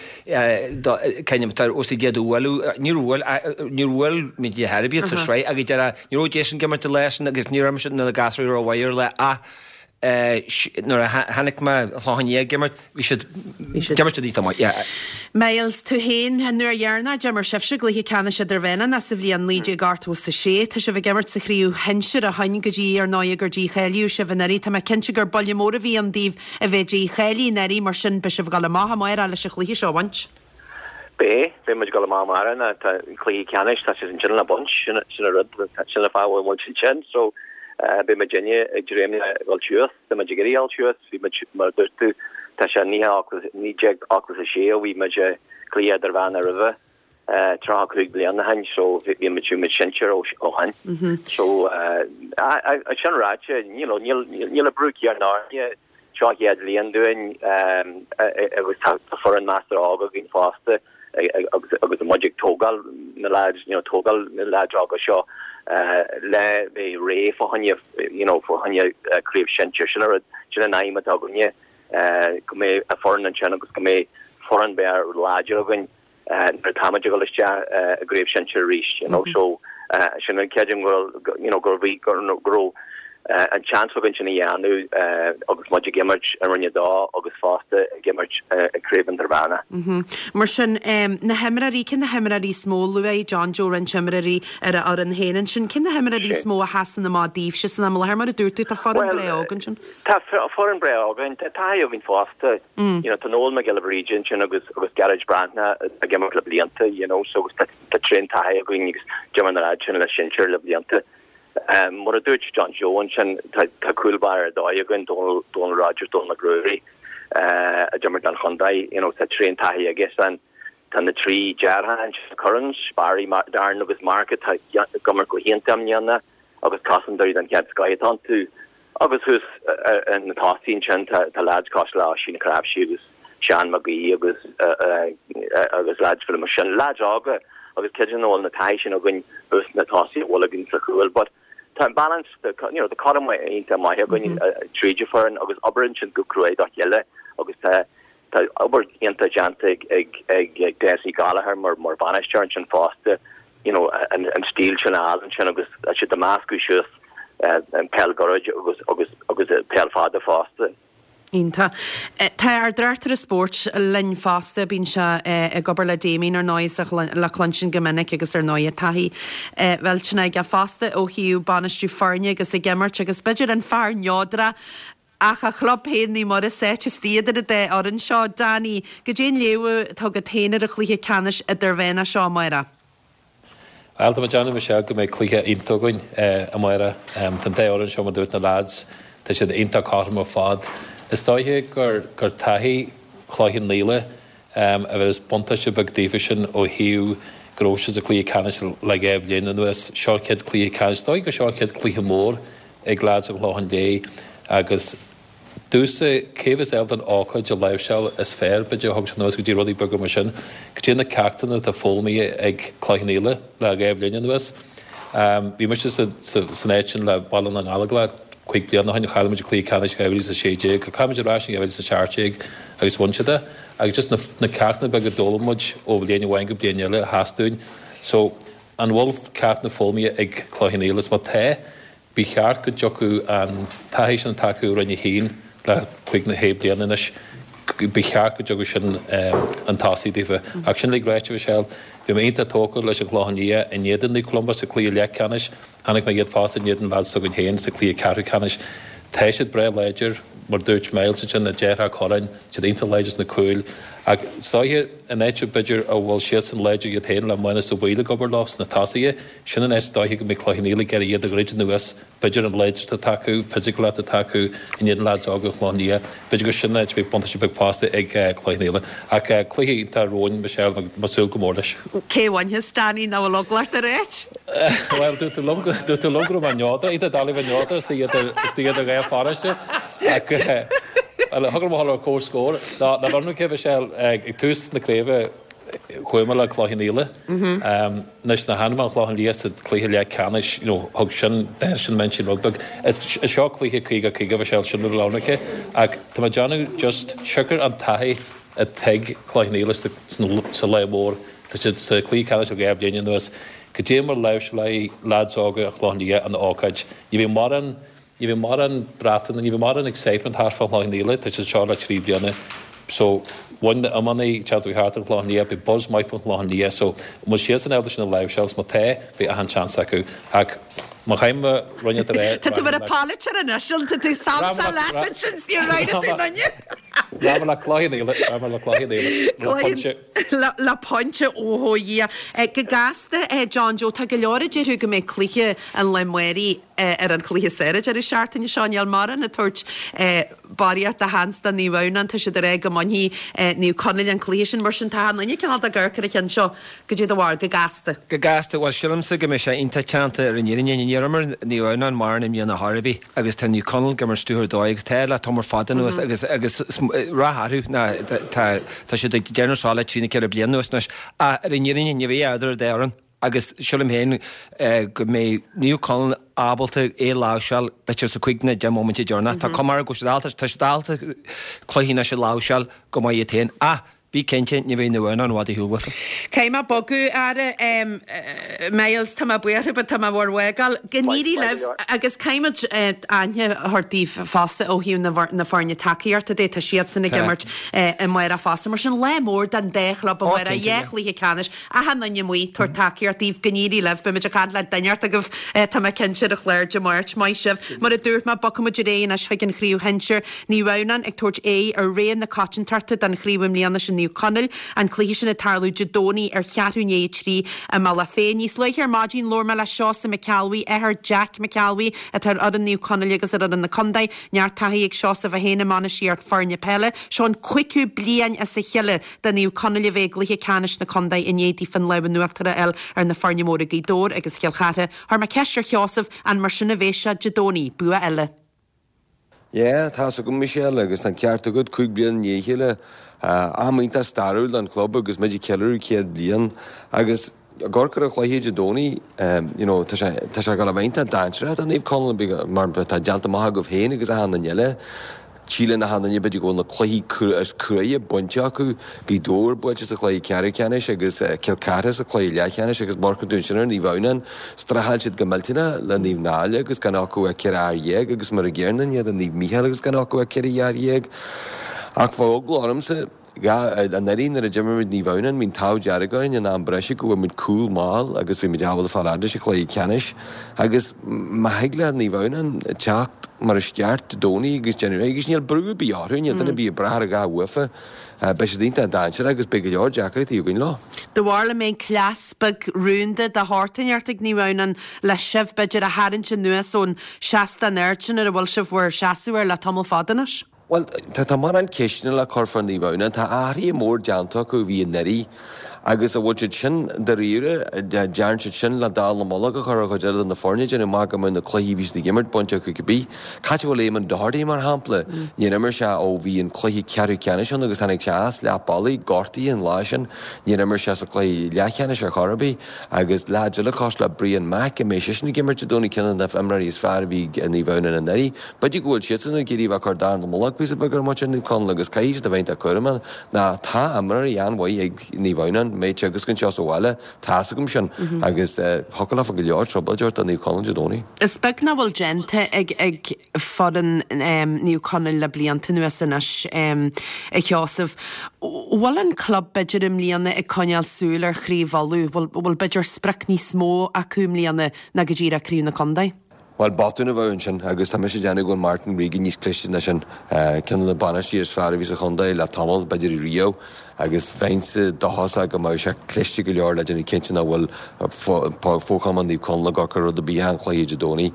kind of os a gcéad a bhualadh. Níor bhuail níor bhuail muid ar chor ar bith sa sraith agus deireadh ní raibh Jason ag imirt an lá sin agus ní raibh mise na gasúraí rómhaith ar an lá ach nuair a chonaic mé an Clochán Liath ag imirt Bhí siad, d'imir siad iontach maith, yeah. Myles, tú féin, an uair dheireanach a d'imir sibhse i gcluiche ceannais idirmheánach ná sa bhliain 1986. Tá sibh ag imirt sa chraobh shinsir ó shin go dtí, ar ndóigh, gur dícháilíodh sibh anuraidh. Tá mé cinnte gur buille mór a bhí ann daoibh a bheith dícháilithe anuraidh, mar sin beidh sibh ag dul amach amárach leis an chluiche seo a bhaint. Beidh, beidh muid ag dul amach amárach ná tá cluiche ceannais, tá siad ansin le baint, sin an rud, sin an fáth a bhfuil muid ansin. So, beidh muidinne ag dréim le dhul suas. Tá muid ag iarraidh dul suas, bhí muid, mar a dúirt tú, tá sé 1986 ó bhí muid i gcluiche idirmheánach roimhe, 35 bliain ó shin, so bhí muid, bhí muid sinsir ó shin. So, sin ráite, you know, níl, níl an brú céanna orainne, seo an chéad bhliain dúinn agus tá foireann measartha óg againn fosta. agus muid ag tógáil na lads, you know, tógáil na lads óga seo le bheith réidh fá choinne, you know, fá choinne craobh sinsir. Sin an rud, sin an aidhm atá againne, go mbeidh foireann ansin agus go mbeidh foireann breá láidir againn. Nuair atá muid ag dul isteach i gcraobh shinsir arís, you know, so sin an creidim go you know, go bhí go raibh an chance againn sin a dhéanamh agus muid ag imirt i Roinn 2 agus fosta ag imirt i gCraobh Idirmheánach. Mar sin, na himreoirí, cé na himreoirí is mó, luaigh John Joe roinnt imreoirí ar a fhoireann féin ansin, cé na himreoirí is mó a sheasann amach daoibhse san am i láthair? Mar a dúirt tú, tá foireann breá óg ansin. Tá foireann breá óg againn, tá taithí againn fosta. You know, tá Noel Mac Giolla Bhríde ansin agus agus Gearóid Breathnach ag imirt le blianta, you know, so agus tá tá tréan taithí againn agus d'imir na lads sin le sinsir le blianta. Um, mar a dúirt John Joe ansin, tá tá cúl báire ar dóigh againn, Dónal Dónal Rogers, Dónal Mac Ruairí, uh, a d'imir don chontae, you know, tá tréan taithí aige san. Tá na trí deartháir ansin, na Currans, Barry, Darren agus Mark atá ag imirt go hiontach i mbliana. agus cosantóirí den chéad scoith atá iontu. Agus thuas na tosaithe ansin tá leaids cosúil le Oisín Cnáimhsí agus Seán Mag Aoidh agus agus leaids fá mar sin. Leaids óga agus creidim go bhfuil na taithí sin againn thuas na tosaithe a bhfuil againn sa chúl. But tá an balance, you know, tá cothrom iontach maith againn tríd an foireann agus oibríonn siad go cruaidh dá chéile agus tá Tá obair iontach déanta ag Dessie Gallagher mar bhainisteoir ansin fosta, you know, an stíl sin a fháil ansin agus tá siad ag meascadh suas an peil gairid agus agus agus peil fada fosta. Iontach. Tá ár dtráchtaire spóirt linn fosta, bíonn sé ag obair le Damien ar ndóigh le cluinstin go minic agus ar ndóigh taithí mhillteanach aige fosta ó thaobh bainistiú foirne agus ag imirt agus b'fhéidir an fear neodrach Ach a chlub féin, Naomh Muire sáite istigh idir an dá fhoireann seo. Danny, goidé an léamh atá agat féin ar an chluiche ceannais idirmheánach seo amárach? Bhuel, tá mé ag déanamh, Michelle, go mbeidh cluiche iontach againn amárach. Tá an dá fhoireann seo, mar a dúirt na lads, tá siad iontach cothrom ar fad. Is dóiche gur gur taithí Chloich Cheann Fhaola a bheas buntáiste beag daofa sin ó thaobh go raibh siad sa chluiche ceannais le dhá bhliain anuas. Seo an chéad chluiche ceannais, is dóiche gur seo an chéad chluiche mór ag leaids an Chlocháin Léith agus domhsa, cé bheas ábalta an ócáid a láimhseáil is fearr, b'fhéidir, a thug sé anuas go dtí rudaí beaga mar sin, goidé na ceachtanna atá foghlamtha ag Cloich Cheann Fhaola le dhá bhliain anuas. Bhí mise san áit sin le Baile na nGallóglach cúig bliana ó shin, chaill muid an cluiche ceannais 2016, chaill muid ar ais in 2017 agus bhain siad é. Agus just na ceachtanna beaga a d'fhoghlaim muid ó bhliain amháin go bliain eile a sheas dúinn. So, an bhfuil ceachtanna foghlamtha ag Cloich Cheann Fhaola? Is má tá, Ba cheart go dtiocfadh an taithí sin atá acu i Roinn 1 le cúig nó shé bliana anois, ba cheart go dtiocfadh sin chun tosaigh daofa. Ach sin uilig ráite, Michelle, bhí mé iontach tógtha leis an Chlochán Liath in éadan Naomh Columba sa chluiche leathcheannais. Chonaic mé iad fosta in éadan leaids s'againn féin sa chluiche ceathrú ceannais. Tá siad breá láidir, mar dúirt Myles ansin, na deartháireacha Curran, siad iontach láidir sna cúil. Ach is dóiche, an áit b'fhéidir a bhfuil siadsan láidir iad féin le Mánus Ó Baoill ag obair leo sna tosaithe, Sin an áit is dóiche go mbeidh Cloich Cheann Fhaola ag iarraidh iad a dhruid anuas, b'fhéidir an láidreacht atá acu, fisiciúlacht atá acu in éadan leaids óga an Chlocháin Liath, b'fhéidir gur sin an áit a mbeidh buntáiste beag fosta ag Cloich Cheann Fhaola. Ach cluiche iontach romhainn, Michelle, agus mé ag súil go mór leis. Cé a bhainfeas, Danny, nach bhfuil eagla ort a ráit? Bhuel, dúirt tú liom go dúirt tú liom go raibh mé neodrach, iad ag dul a bheith neodrach istigh idir istigh idir dhá pharóiste. Ach bhuel, thug mé a comhscór. Ná ná bheir mé cé, Michelle, ag tús na craoibhe, Chuaigh mé le Cloich Cheann Fhaola. Anois nuair a chonaic mé an Clochán Liath sa chluiche leathcheannais, you know, thug sin, d'athraigh sin m'intinn rud beag. Is seo cluiche 50 50 Michelle, sin rud ionraice. Ach tá mé ag déanamh just siocair an taithí atá ag Cloich Cheann Fhaola sa lá mór, tá siad sa chluiche ceannais le dhá bhliain anuas, goidé mar láimhseálfaidh leaids óga an Chlocháin Liath an ócáid. Ní bheidh mórán Ní bheidh mórán breataine, ní bheidh mórán excitement thart fán Chlochán Liath, tá siad anseo le trí bliana. So, bhain na iománaí teacht thart ar Chlochán Liath, beidh buzz maith fán Chlochán Liath, so an bhfuil siadsan ábalta sin a láimhseáil, is má tá, beidh achan seans acu. Ach má chaithfidh mé rud inteacht a rá, Tá tú mar an polaiteoir anois, an tá tú samsa leat ansin, is níor éirigh tú duine. Rachaidh mé le Cloich Cheann Fhaola, rachaidh mé le Cloich Cheann Fhaola, le pointe. Le pointe, ó Dhia. Go gasta, John Joe, tá go leor a déarfadh go mbeidh cluiche an lae amárach ar an chluiche is fearr an deireadh seachtaine seo. Níl mórán ag tabhairt barraíocht de sheans do Naomh Adhamhnáin, tá siad ag rá go mbainfidh Naomh Conaill an cluiche sin. Mar sin, tá achan duine cineál ag amharc ar an cheann seo. Goidé do bharúil, go gasta. Go gasta, bhuel, sílimse go mbeidh sé iontach teannta ar an fhírinne. Níor imir Naomh Adhamhnáin mórán i mbliana chor ar bith. agus tá Naomh Conaill ag imirt stiúthar dóigh agus tá le tamall fada anuas agus agus rath orthu ná tá tá siad ag déanamh seo le trí nó ceithre bliana anuas anois. Ach ar an fhírinne ní bheidh eadar an dá fhoireann agus sílim féin go mbeidh Naomh Conaill ábalta é a láimhseáil b'fhéidir sa cúig nó deich móiminte deireanach. Tá cuma orthu go bhfuil siad ábalta tá siad ábalta cluichí anois a láimhseáil go maith iad féin. Ach. Bí cinnte, ní bheidh Naomh Adhamhnáin i bhfad ar shiúl uafa. Caithfidh mé bogadh, a Fhear Myles, tá mé buartha but tá mé bhur bhfágáil. Go n-éirí libh agus caithfidh muid aithne a thabhairt daoibh fosta ó thaobh na foirne tacaíochta de, tá siadsan ag imirt amárach fosta. Mar sin, lá mór don dá chlub amárach, dhá chluiche ceannais, achan duine amuigh ag tabhairt tacaíocht daoibh, go n-éirí libh. Beidh muid ag caint le duine inteacht agaibh, tá mé cinnte, ar an chlár Dé Máirt. Maith sibh. Mar a dúirt mé, bogfaidh muid ar aghaidh anois chuig an chraobh shinsir. Naomh Adhamhnáin ag tabhairt aghaidh ar rogha na coitiantachta don chraobh i mbliana sin Naomh Conaill, an cluiche sin ag tarlú Dé Domhnaigh ar cheathrú i ndiaidh a 3 i mBealach Féich. Níos luaithe ar maidin labhair mé le Seosamh McElwee, athair Jack McElwee atá ar fhoireann Naomh Conaill agus ar fhoireann na contae. Neart taithí ag Seosamh é féin i mbainistíocht foirne peile. Seo an cúigiú bliain as a chéile do Naomh Conaill a bheith i gcluiche ceannais na contae i ndiaidh daofa an lámh in uachtar a fháil ar na foirne móra Gaoth Dobhair agus Chill Chartha. Chuir mé ceist ar Sheosamh an mar sin a bheas sé Dé Domhnaigh, bua eile. Yeah, tá's agam Michelle, agus tá an ceart agat, 5 bliana i ndiaidh a chéile, am iontach stairiúil don chlub agus muid ag ceiliúradh 100 bliain agus ag amharc ar an chluiche Dé Domhnaigh, you know, tá sé, tá sé ag dul a bheith iontach dainséarach do Naomh Conaill mar tá déanta amach agaibh féin agus achan duine eile. Síleann achan duine b'fhéidir go bhfuil na cluichí is cruaidhe bainte acu, Gaoth Dobhair buailte sa chluiche ceathrú ceannais agus Cill Chartha sa chluiche leathcheannais agus má amharcann tú ansin ar Naomh Adhamhnáin, Streachail siad go millteanach le Naomh Náille agus gan acu ach 14 fhear agus mar an gcéanna in éadan Naomh Mícheál agus gan acu ach 14 fhear. Ach bheadh eagla ormsa, anuraidh nuair a d'imir muid Naomh Adhamhnáin bhí an t-ádh dearg orainn in am breise go bhfuair muid cúl mall agus bhí muid ábalta fáil fhad leis an chluiche ceannais agus má thig le Naomh Adhamhnáin teacht mar is ceart Dé Domhnaigh agus déanamh agus níl brú ar bith orthu, níl duine ar bith ag brath ar a dhath uafa. Beidh siad iontach dainséarach agus beidh go leor deacrachtaí againn leo. Do bharúil an mbeidh cleas beag rúnda de shórt inteacht ag Naomh Adhamhnáin le sibh, b'fhéidir, a tharraingt anuas ón seastán ard sin ar a bhfuil sibh bhur seasamh air le tamall fada anois? Bhuel, tá mórán ceisteanna le cur fá Naomh Adhamhnáin. Tá athruithe mór déanta acu ó bhí anuraidh agus an bhfuil siad sin dáiríre, dearn siad sin le dallamullóg a chur ar chuid eile de na foirne, déanamh amach go mbeadh na cluichí a bhí siad ag imirt bainte acu cibé. Cá háit a bhfuil Éamonn Doherty, mar shampla? Níor imir sé ó bhí an cluiche ceathrú ceannais ann agus tháinig sé as leath bealaigh, gortaithe an lá sin. Níor imir sé sa chluiche leathcheannais ar chor ar bith. Agus leaids eile cosúil le Brian Mack, an mbeidh seisean ag imirt Dé Domhnaigh, ceann de na himreoirí is fearr a bhí ag Naomh Adhamhnáin anuraidh. B'fhéidir go bhfuil siadsan ag iarraidh a bheith ag cur dallamullóg píosa beag ar mhuintir Naomh Conaill agus caithfidh siad a bheith iontach cúramach ná tá imreoirí an-mhaith ag Naomh Adhamhnáin, mbeidh teagasc anseo sa bhaile, tá's agam sin, agus thiocfadh leofa go leor trioblóid a thabhairt do Naomh Conaill Dé Domhnaigh. Is beag nach bhfuil déanta ag ag foireann Naomh Conaill le blianta anuas anois, a Sheosaimh. Bhfuil an club b'fhéidir i mbliana ag coinneáil súil ar Chraobh Uladh? Bhfuil bhfuil b'fhéidir sprioc níos mó acu i mbliana ná go díreach Craobh na Contae? Bhuel, botún a bheadh ansin agus tá mise ag déanamh go bhfuil Martin Regan níos cliste ná sin. Ceann de na bainisteoirí is fearr a bhí sa chontae le tamall, b'fhéidir riamh, agus bheinnse dóchasach go mbeadh sé cliste go leor le déanamh cinnte nach bhfuil fo-chumann Naomh Conaill ag cur rud ar bith an chluiche Dé Domhnaigh.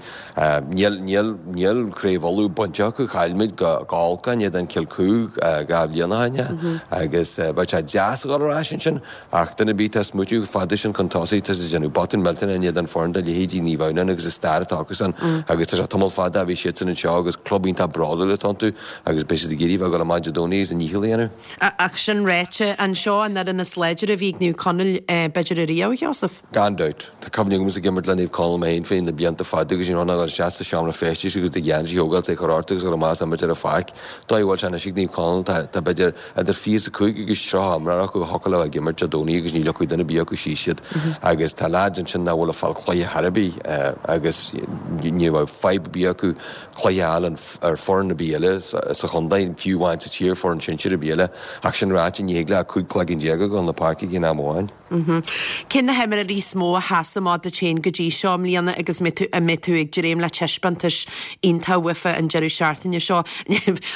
Níl, níl, níl Craobh Uladh bainte acu, chaill muid go holc in éadan Kilcoo 2 bhliain ó shin agus bheadh sé deas a dhul ar ais ansin Ach duine ar bith atá ag smaoitiú chomh fada sin chun tosaigh, tá siad ag déanamh botún millteanach in éadan foireann de leithéidí Naomh Adhamhnáin agus an stair atá acusan agus tá sé tamall fada ó bhí siadsan anseo agus club iontach bródúil atá iontu agus beidh siad ag iarraidh bheith ag dul amach Dé Domhnaigh agus a ndícheall a dhéanamh. Ach sin ráite, an seo an fhoireann is láidre a bhí ag Naomh Conaill b'fhéidir ariamh, a Sheosaimh? Gan dabht. Tá cuimhne agamsa ag imirt le Naomh Conaill mé féin fé na blianta fada agus ní raibh ach dul isteach sa seomra feistis agus do gheansaí a thógáil 's é a chur ort agus dul amach is imirt ar an pháirc. Dóigh a bhfuil sé anois ag Naomh Conaill tá tá b'fhéidir idir 25 agus 30 imreoir acu a thiocfadh leo ag imirt Dé Domhnaigh agus ní leogfaidh duine ar bith acu síos iad agus tá leaids ansin nach bhfuil ag fáil cluiche chor ar bith agus ní bheadh fadhb ar bith acu cluiche a fháil ar foireann ar bith eile sa chontae, fiú amháin sa tír, foireann sinsir ar bith eile. Ach sin ráite, ní thig le 15 cloigeann a dhul na páirce ag aon am amháin. Cé na himreoirí is mó a sheas amach duit féin go dtí seo i mbliana agus an mbeidh tú ag dréim le taispeántais iontach uafa an deireadh seachtaine seo?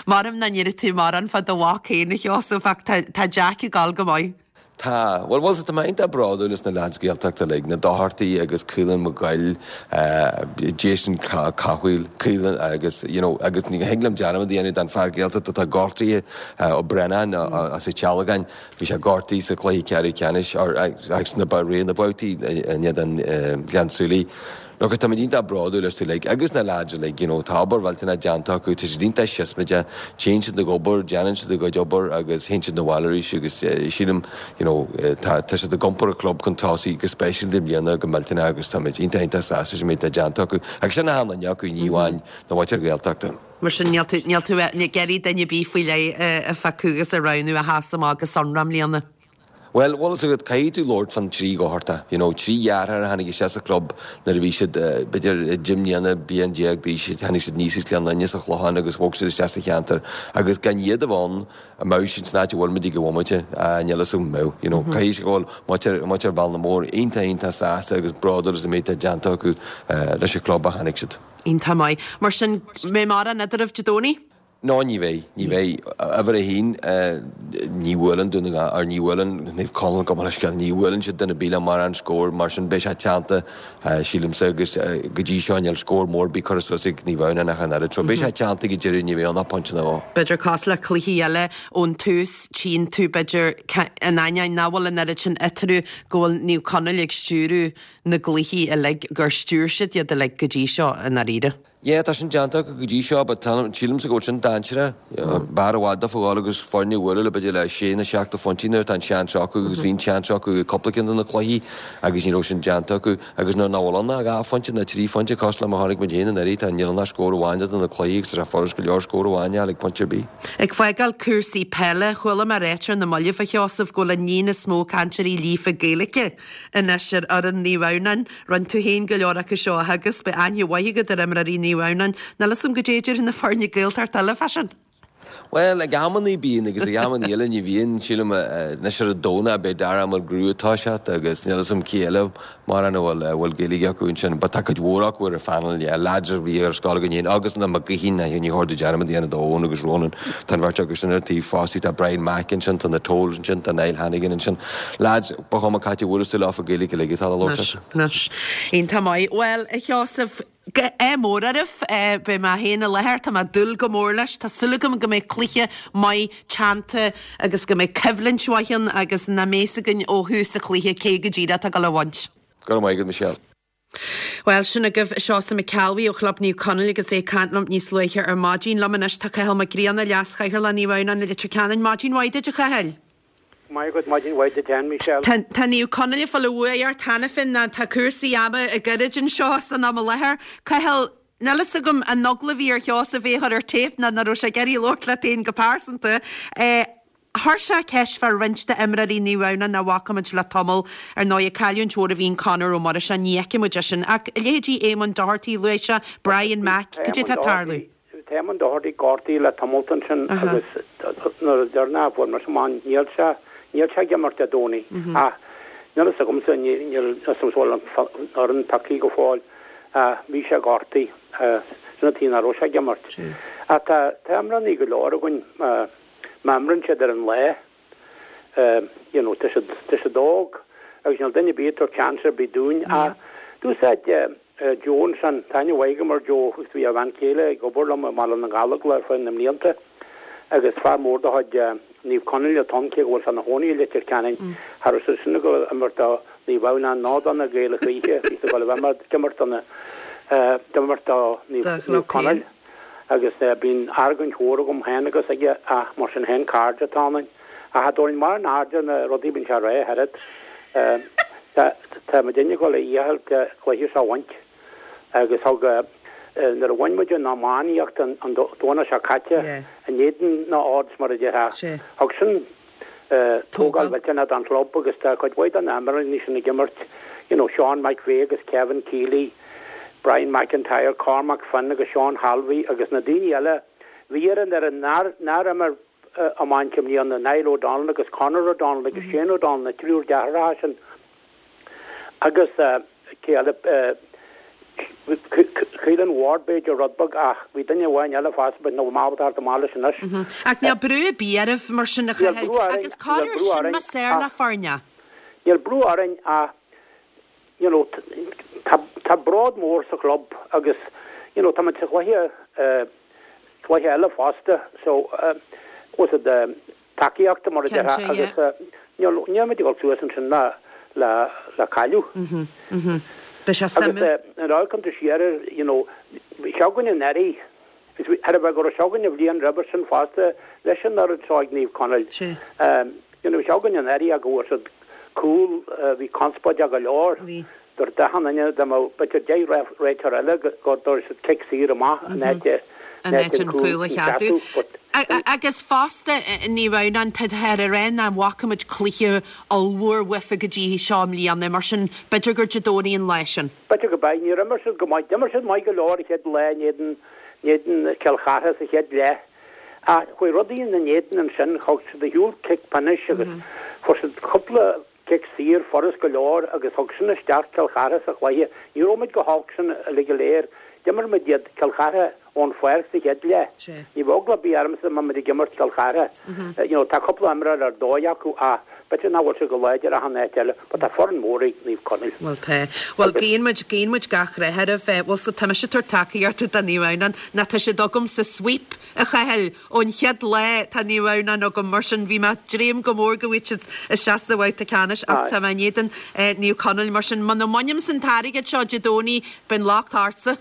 Maram nach ndéarfaidh tú mórán fá do mhac féin, a Sheosaimh, ach tá Jack ag gabháil go maith. Tá. Bhuel, bhuel, tá mé iontach bródúil as na leaids Gaeltachta uilig, na Dochartaigh agus Caolán Mac Goill, Jason Cathmhaoil, Caolán agus, you know, agus ní thig liom dearmad a dhéanamh den fear Gaeltachta atá gortaithe, Ó Braonáin as an tSealgáin. Bhí sé gortaithe sa chluiche ceathrú ceannais agus na ré na babhtaí in éadan Ghleann tSúilí. Look, táimid iontach bródúil astu uilig agus na lads uilig, you know, tá obair mhillteanach déanta acu, tá siad iontach siosmaideach, téann siad ag obair, déanann siad a gcuid obair agus théann siad 'na bhaile arís agus sílim, you know, tá tá siad ag iompar an chlub chun tosaigh go speisialta i mbliana go millteanach agus táimid iontach iontach sásta leis an méid atá déanta acu agus sin achan duine acu, ní amháin na muintir Gaeltachta. Mar sin níl tú, níl tú ag iarraidh duine ar bith faoi leith a phiocadh agus a roghnú a sheas amach go sonrach i mbliana. Bhuel, bhfuil fhios agat, caithfidh tú labhairt fán trí Dhochartaigh, you know, trí dheartháir a tháinig isteach sa chlub nuair a bhí siad, b'fhéidir, deich mbliana, bliain déag d'aois, tháinig siad aníos as Gleann Fhinne sa Chlochán agus bhog siad isteach sa cheantar agus gan iad a bheith ann, an mbeadh siad san áit a bhfuil muid ag an bhomaite? Ah, níl fhios agam an mbeadh, you know, caithfidh sé go bhfuil muintir, muintir Bhealnamóir iontach, iontach sásta agus bródúil as an méid atá déanta acu leis an chlub ó tháinig siad. Iontach maith. Mar sin, mbeidh mórán eadraibh Dé Domhnaigh? No, ní bheidh. Ní bheidh. Uimhir a haon, ní bhuaileann Dún na nGall, or ní bhuaileann Naomh Conaill, gabh mo leithscéal, ní bhuaileann siad duine ar bith le mórán scór, mar sin beidh sé teannta, sílimse, agus go dtí seo níl scór mór ar bith curtha suas ag Naomh Adhamhnáin ach an oiread. So beidh sé teannta ag an deireadh, ní bheidh ann ach pointe nó dhó. B'fhéidir cosúil le cluichí eile ón tús, tchíonn tú b'fhéidir, in ainneoin nach bhfuil an oiread sin eatarthu, go bhfuil Naomh Conaill ag stiúradh na gcluichí uilig, gur stiúir siad iad uilig go dtí seo i ndáiríre. Yeah, tá sin déanta acu go dtí seo but tá, sílimse go bhfuil sin dainséarach. B'fhearr i bhfad daofa a ghabháil agus foirne a bhualadh le b'fhéidir le sé nó seacht de phointí nuair atá an seans acu agus bhí an seans acu i cúpla ceann de na cluichí agus ní raibh sin déanta acu agus nuair nach bhfuil ann ach dhá phointe nó trí phointe cosúil le mar a chonaic muid féin anuraidh tá níl ann ach scór amháin idir na cluichí agus tá sé furast go leor scór amháin a fháil ag pointe ar bith. Ag fágáil cúrsaí peile, chuala mé ráite ar na mallaibh a Sheosaimh go bhfuil an líon is mó cainteoirí líofa Gaeilge anois ar fhoireann Naomh Adhamhnáin. Rinne tú féin go leor acu seo a theagasc, beidh aithne mhaith agat ar imreoirí Naomh Adhamhnáin. Níl fhios agam goidé a déarfaidh na foirne Gaeltachta eile fá sin. Bhuel, ag amannaí bíonn agus ag amannaí eile ní bhíonn. Sílim anois ar an Domhnach beidh Dara Mulgrew ag toiseacht agus níl fhios agam cé eile mórán a bhfuil a bhfuil Gaeilge acu ansin. But tá cuid mhór acu ar an phanel, yeah, lads a bhí ar scoil againn féin agus na Mac Gaoithín, ní chóir domh dearmad a dhéanamh d'Eoin agus Ronan. Tá an bheirt acu sin ar an taobh fosta, tá Brian Mack ansin, tá na Tolls ansin, tá Niall Hannigan ansin. Lads, ba chuma cá háit a bhuaileas tú leofa Gaeilge uilig atá le labhairt acu. Anois, iontach maith. Bhuel, a Sheosaimh, ádh mór oraibh. Beidh mé féin i láthair, tá mé ag dúil go mór leis. Tá súil agam go mbeidh cluiche maith teannta agus go mbeidh coimhlint mhaith ann agus nach mbeidh fhios againn ó thús an chluiche cé go díreach atá ag dul a bhaint. Go raibh maith agat, Michelle. Bhuel, sin agaibh Seosamh Mac Ceallbhuí ó Chlub Naomh Conaill agus é ag caint liom níos luaithe ar maidin. Liom anois tá Cathal Mac Grianna, Leas-Chathaoirleach Naomh Adhamhnáin i Leitir Ceanainn. Maidin mhaith duit, a Chathail. Maith agat, maidin mhaith duit féin, Michelle. Tá Naomh Conaill ag fáil a bhuaidh ort cheana féin ná tá cúrsaí ama ag goirid anseo san am i láthair. Cathal, níl fhios agam an eagla a bhí ar Sheosamh é a chur ar téip ná nach raibh sé ag iarraidh labhairt leat féin go pearsanta. Chuir sé ceist fá roinnt d'imreoirí Naomh Adhamhnáin nach bhfaca muid le tamall. Ar ndóigh, cailliúint mhór a bhí in Conor Ó Muiris, ní fheicfidh muid é sin. Ach leithéidí Éamonn Doherty, luaigh sé, Brian Mack, cad é atá ag tarlú? Tá Éamonn Doherty gortaithe le tamalt ansin agus nuair a deireanach a fuair mise amach níl sé, níl sé ag imirt Dé Domhnaigh. Ach níl fhios agamsa, níl fhios agam an bhfuil an fhoireann pioctha go fóill ach bhí sé gortaithe. Sin an tuige nach raibh sé ag imirt. Ach tá, tá imreoirí go leor againn. Má imríonn siad ar an lá, you know, tá siad, tá siad óg agus níl duine ar bith ag tabhairt seans ar bith dúinn. Ach d'úsáid Joe ansin, tá aithne mhaith agam ar Joe agus bhí a bhean chéile ag obair liom i mBaile na nGallóglach ar feadh na mblianta agus fear mór de chuid Naomh Conaill atá ann cé go bhfuil sé ina chónaí i Leitir Ceanainn. Cha raibh sé sin ag dul a imirt do Naomh Adhamhnáin ná do na Gaeil a choíche, bhí sé ag dul a bheith ag imirt do na, ag imirt do Naomh Conaill. agus bíonn argóint mhór agam féin agus aige ach mar sin féin cairde atá ionainn. Ach cha dtabharfainn mórán aird ar na rudaí a bhíonn sé a rá ach oiread. Tá tá muidinne ag dul a dhícheall an cluiche seo a bhaint agus thug nuair a bhain muid an iománaíocht an Domhnach seo caite in éadan na Ards mar a déarfá, thug sin tógáil mhillteanach don chlub agus tá cuid mhaith de na himreoirí sin ag imirt, you know, Sean McVeigh agus Kevin Keeley, Brian McIntyre, Cormac Finn agus Sean Halvey agus na daoine eile bhí ar an fhoireann nár nár imir iomáint i mbliana, Niall O'Donnell agus Conor O'Donnell agus Shane O'Donnell, na triúr deartháireacha sin. Agus cé eile? Caolan Ward b'fhéidir rud beag ach bhí duine amháin eile fosta but níl mé ábalta theacht amach leis anois. Ach níl brú ar bith oraibh mar sin a Níl Chathail brú orainn, agus níl corruair brú sin orainn más fhearr le ach foirne. níl brú orainn ach you know tá tá bród mór sa chlub agus you know tá muid sa chluiche cluiche eile fosta so was it tacaíochta mar a déarfá agus níl muid ag dul suas ansin le le le cailleadh. Beidh sé Agus suimiúil. nuair a amharcann tú siar air you know bhí sé againn anuraidh agus bhí thairbhe go raibh sé againn an bhliain roimhe sin fosta leis an oiread seo ag Naomh Conaill. You know bhí sé againn anuraidh ach go bhfuair siad cúl bhí conspóideach go leor. Dúirt achan duine dá mbeadh b'fhéidir 10 réiteoir eile go dtabharfadh siad cic saor amach in áit. In áit an cúl a cheadú. Agus fosta, Naomh Adhamhnáin, táthar ag rá nach bhfaca muid cluiche ollmhór uafa go dtí seo i mbliana, mar sin b'fhéidir gur Dé Domhnaigh an lá sin. B'fhéidir go beidh. Níor imir siad go maith. D'imir siad maith go leor an chéad lá in éadan, in éadan Cill Chartha sa chéad leath. Ach chuaigh rudaí ina n-éadan ansin, thug siad ar shiúl cic pionóis agus fuair siad cúpla cic saor furast go leor agus thug sin isteach Cill Chartha sa chluiche. Ní raibh muid chomh holc sin uilig go léir. D'imir muid iad, Cill Chartha, ón pháirc sa chéad leath. Ní bheadh eagla ar bith ormsa má muid ag imirt Cill Chartha. You know, tá cúpla imreoir ar dóigh acu ach b'fhéidir nach bhfuil siad chomh láidir achan áit eile but tá foireann mhór ag Naomh Conaill. Bhuel tá. Bhuel guíonn muid, guíonn muid gach rath oraibh. Bhuel so tá mise ag tabhairt tacaíochta do Naomh Adhamhnáin nó tá siad agam sa sweep a Chathail. Ón chéad lá tá Naomh Adhamhnáin agam, mar sin bhí mé ag dréim go mór go bhfaighidh siad isteach sa bhabhta ceannais ach tá mé in éadan Naomh Conaill, mar sin muna mbainimse an t-airgead seo Dé Domhnaigh beidh an locht ortsa.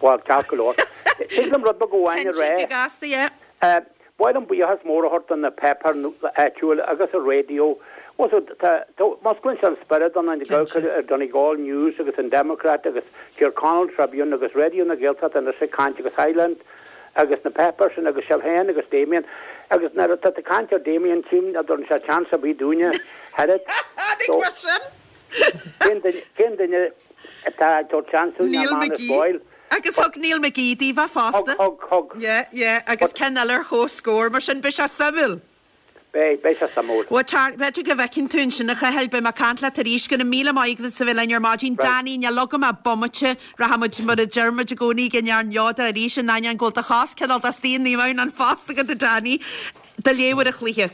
Bhuel, ceart go leor. Tig liom rud beag amháin a rá. Cinnte, go gasta, yeah. Ba mhaith liom buíochas mór a thabhairt do na páipéir áitiúil agus an raidió. Musclaíonn sé an spiorad ionainn ag amharc ar Donegal News agus an Democrat agus Tyrconnell Tribune agus Raidió na Gaeltachta anois ag caint agus Highland agus na páipéir sin agus sibh féin agus Damien agus nuair atá tú ag caint ar Damien tchím nach dtabharann sé chance ar bith dúinne oiread. Tháinig mar sin. Cén duine atá ag tabhairt seans dúinn ná Neil Manus McGee. Boyle. Agus thug Neil McGee daoibh é fosta. Thug, thug, thug. Yeah, yeah, agus ceann eile ar chomhscór, mar sin beidh sé suimiúil. Beidh, beidh sé suimiúil. Bhuel, Charlie, b'fhéidir go bhfeicfinn tú ansin, a Chathail, beidh mé ag caint leat arís. Go raibh míle maith agat as a bheith linn ar maidin. Danny, níl agam ach bomaite. Rachaidh muid, mar a deir muid i gcónaí, ag an fhear neodrach arís, in ainneoin go bhfuil do chos cineál de istigh i Naomh Adhamhnáin fosta agat, a Danny. Do léamh ar an chluiche.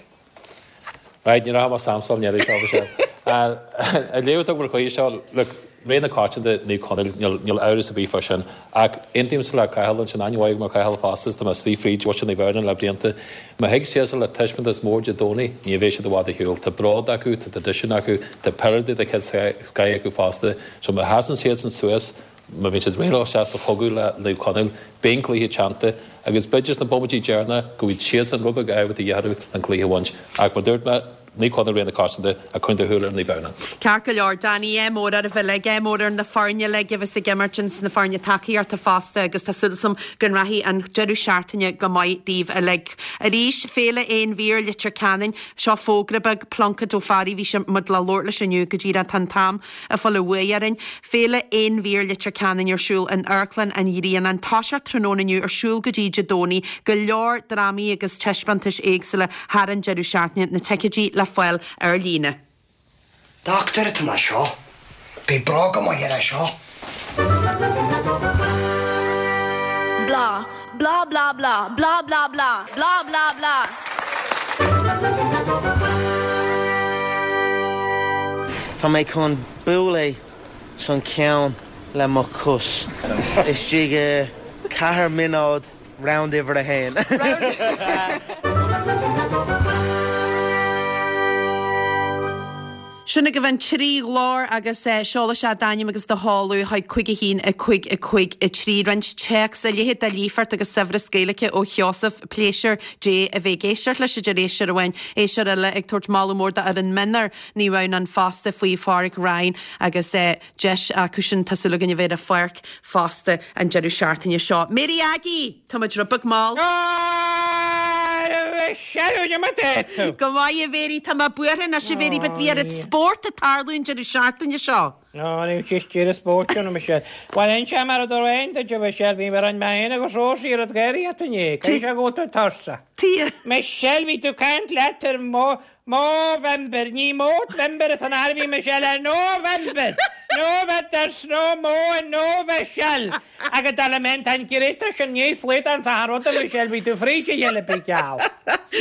Right, ní rachaidh mé samsal ní seo bhí sé. An léamh atá agam ar an chluiche seo, look, rogha na coitianta Naomh Conaill, níl, níl amhras ar bith fá sin. Ach aontaímse le Cathal ansin, aithne mhaith agam ar Chathal fosta, is tá mé istigh fríd mhuintir Naomh Adhamhnáin le blianta. Má thig siadsan le taispeántas mór Dé Domhnaigh, ní bheidh siad i bhfad ar shiúl. Tá bród acu, tá traidisiún acu, tá peileadóirí de chéad scoth acu fosta. So má sheasann siadsan suas, má bhíonn siad réidh le isteach sa chogadh le Naomh Conaill, beidh an cluiche teannta agus b'fhéidir sna bomaití deireanacha go bhfaighidh siadsan rud beag ádh a dhíth orthu an cluiche a bhaint. Ach mar dúirt mé, Naomh Conaill rogha na coitianta ach coinnigh do shúil ar Naomh Adhamhnáin. Ceart go leor, Danny, ádh mór oraibh uilig, ádh mór ar na foirne uilig a bheas ag imirt ins na foirne tacaíochta fosta agus tá súil agam go rachaidh an deireadh seachtaine go maith daoibh uilig. Arís, Féile Aon Mhír Leitir Ceanainn, seo fógra beag, Pluincéad Ó Fearraigh, bhí sé muid le labhairt leis inniu go díreach, tá an t-am ag fáil uaidh orainn. Féile Aon Mhír Leitir Ceanainn ar siúl in Amharclann an Ghrianáin. Toiseacht tráthnóna inniu, ar siúl go dtí Dé Domhnaigh. Go leor drámaí agus taispeántais éagsúla thar an deireadh seachtaine. Na ticéidí le fáil ar líne. Dochtúir atá ina seo. Beidh bróga maith air seo. Blah, blah blah blah, blah blah blah, blah blah blah. Tá mé chun bualadh san ceann le mo chos istigh i 4 mionóid round uimhir a haon. Sin agaibh an 3 ghlór agus seol isteach d'ainm agus do sheoladh chuig 5 1 5 5 3. Roinnt téacs, a leithéid de líofacht agus saibhreas Gaeilge ó Sheosamh. Pléisiúr Dé a bheith ag éisteacht leis, a deir éisteoir amháin. Éisteoir eile ag tabhairt moladh mór d'fhoireann mionúir Naomh Adhamhnáin fosta faoi Pháraic Ryan agus deis acu sin tá súil againn a bheith ar an pháirc fosta an deireadh seachtaine seo. Mary Aggie! Tá muid rud beag mall. Go maith a Mhary, tá mé buartha anois a Mhary but bhí oiread spórt ag tarlú an deireadh seachtaine seo. Nó ní chistíre spóirt ann, a Michelle. Bhuel, inseoidh mé rud amháin duit, a Mhichelle, bhí mé rinne mé féin agus Rósaí rud gáireach inné. Caithfidh sé go bhfuil tú tuirseach. Tuighe. Michelle, bhí tú ag caint leat ar mo Movember, ní Mótvember atá in arbhí Michelle, ar November! Nova there's no mo in Novechelle! Agus dar le mé tá an greta sin níos flaith an t-achan rud a Michelle, bhí tú fríd a chéile bí geall.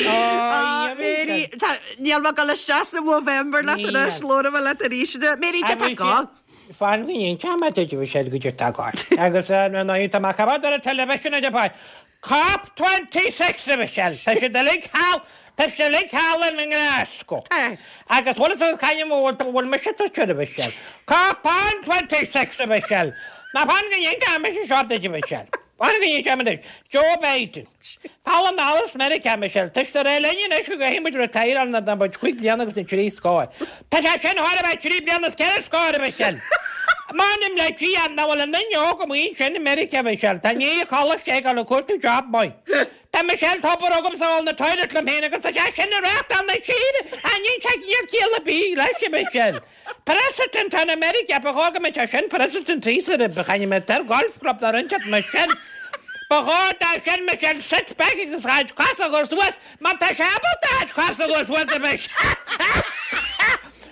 Ah, Mary, tá, níl mé ag dul isteach sa Movember leat anois, labhróidh mé leat arís. Mary, cad tá ag gabháil? Fan go n-inseoidh mé duit a Mhichelle goidé tá ag gabháil. Agus ar ndóigh tá mé ag coimeád ar an television a Pháid. Cop 26 a Mhichelle, tá siad uilig thall, tá siad uilig thall i nGlasgow. Agus bhfuil fhios agat cá bhfuil, bhfuil mise tuirseach a Mhichelle. Cop on 26 a Mhichelle. Ná fan go n-inseoidh mise seo duit a Mhichelle. Fan go n-inseoidh mé duit. Joe Biden. Thall anall as Meiriceá a Mhichelle. Tá siad ag rá linn anois go gcaithfidh muid retire nuair atá muid chúig bliana agus na trí scór. Tá sé sin chóir a bheith trí bliana is ceithre scór a Mhichelle. M'anam le Dia nach bhfuil an duine óg amuigh ansin i Meiriceá, a Mhichelle. Tá i ndiaidh coláiste ag dul ag cuartú job maith. Tá Michelle tobar agamsa a dhul 'na toilet liom féin agus tá sé sin ag reáchtáil na tíre. Aithníonn sé níl ciall ar bith leis, a Mhichelle. President in America, ba chóir go mbeadh sé sin President thíos ar a chaithfidh mé ar golf club nó roinnt at Michelle. Ba chóir dó sin Michelle sit back agus a chuid cosa a chur suas má tá sé ábalta a chuid cosa a chur suas a Michelle.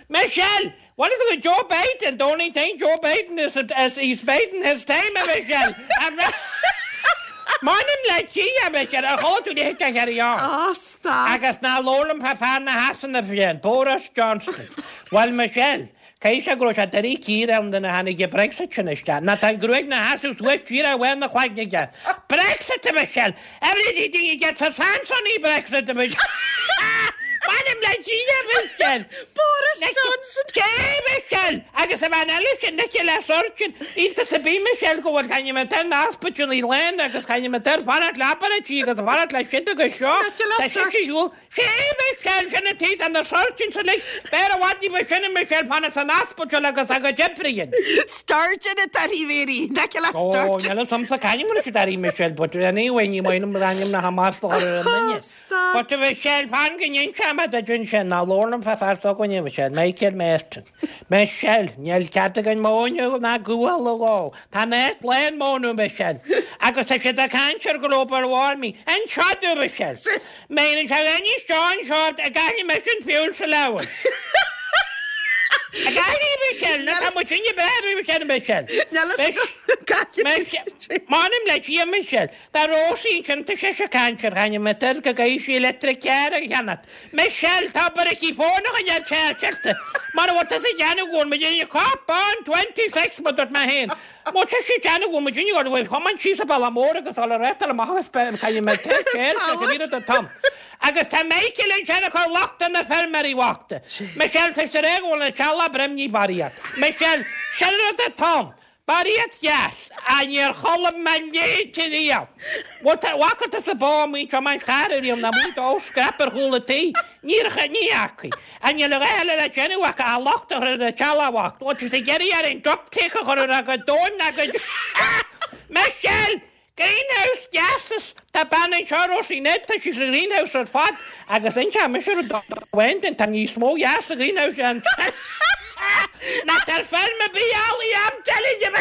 Michelle! What is it with Joe Biden? The only thing Joe Biden is is he's biding his time a Michelle. M'anam le Dia a Michelle, ar chuala tú léithe de Cherry On? Á, stop. Agus ná labhair liom fá fear na Shasana féin, Boris Johnson. Bhuel Michelle, caithfidh sé go raibh sé doiligh cíor ann nuair a tháinig an Brexit sin isteach. Nó tá an ghruaig 'na sheasamh suas díreach amháin 'na chloigne aige. Brexit a Michelle! Everything gets a chance on the Brexit a Michelle! M'anam le Dia a Michelle! Boris Johnson! Cé Michelle! Agus an bhean eile sin, Nicola Sturgeon, iontas ar bith Michelle go bhfuil caithfidh mé tar na hospitalaí lán agus caithfidh mé tar fanacht le obráidí agus fanacht le siad agus seo. Nicola Tá sise Sturgeon. siúl. Cé Michelle sin an taobh de na Sturgeon sa lig. B'fhearr i bhfad ní ba sine Michelle fanacht san ospidéal agus a gcuid oibre a dhéanamh. Sturgeon atá uirthi Mary. Nicola Ó, Sturgeon. níl 'fhios a'msa c'ainm a raibh siad uirthi Michelle but anyway ní maith liom ainm na hamasla a chur ar an nduine. Stop. But a Mhichelle, fan go n-inseoidh mé duit ansin, ná labhair liom fá fear s'againne, a Mhichelle, Michael Martin. Michelle, níl cead againn móin ná gual a dhó. Tá an áit lán móna, a Mhichelle. Agus tá siad ag caint ar global warming. Anseo domh, a Mhichelle. Meireann sé inis seo anseo a gcaithfidh mise an feoil sa leabhar. A gcaithfidh, Michelle, ná tá muid sinne b'fhearr, a Mhichelle, Michelle. Níl a fhios agam caithfidh. M'anam le Dia, Michelle. Tá Róisín ansin, tá sise ag caint ar ainm an fhir go gcaithfidh sí electric car a cheannacht. Michelle, tá obair aici fón a choinneáil charged. Mara bhfuil tusa ag déanamh go bhfuil muid ag cop on 26 mar dúirt mé féin. Má tá sí ag déanamh go bhfuil muid ag dul thiomáint síos an bealach mór agus dul ar réiteach amach agus caithfidh mé take care go bhí rud an t-am. Agus tá Michael ansin ag cur locht ar na feirmeoirí bhochta. Michelle, tá sé ag rá go bhfuil an teaghlach broimnigh barraíocht. Michelle, sin rud atá ann. Barraíocht dheas, ach níor chuala mé léite riamh. Bhuel, tá, bhfaca tusa bó amuigh ag tiomáint charr ariamh ná amuigh dó scrap ar chúl an tí? Níor, ní fhacaidh. Ach níl a dhath eile le déanamh acu ach locht a chur ar an teaghlach bhocht. Bhuel, tá siad ag iarraidh orainn uptake a chur ar a gcuid domhain ná go Michelle! Greenhouse gases! Tá bean anseo, Rosie Ned, tá sí sa ghreenhouse ar fad agus inseoidh mise rud amháin duit, tá níos mó gas sa ghreenhouse ansin ná tá ar feirm ar bith eile, I'm telling you!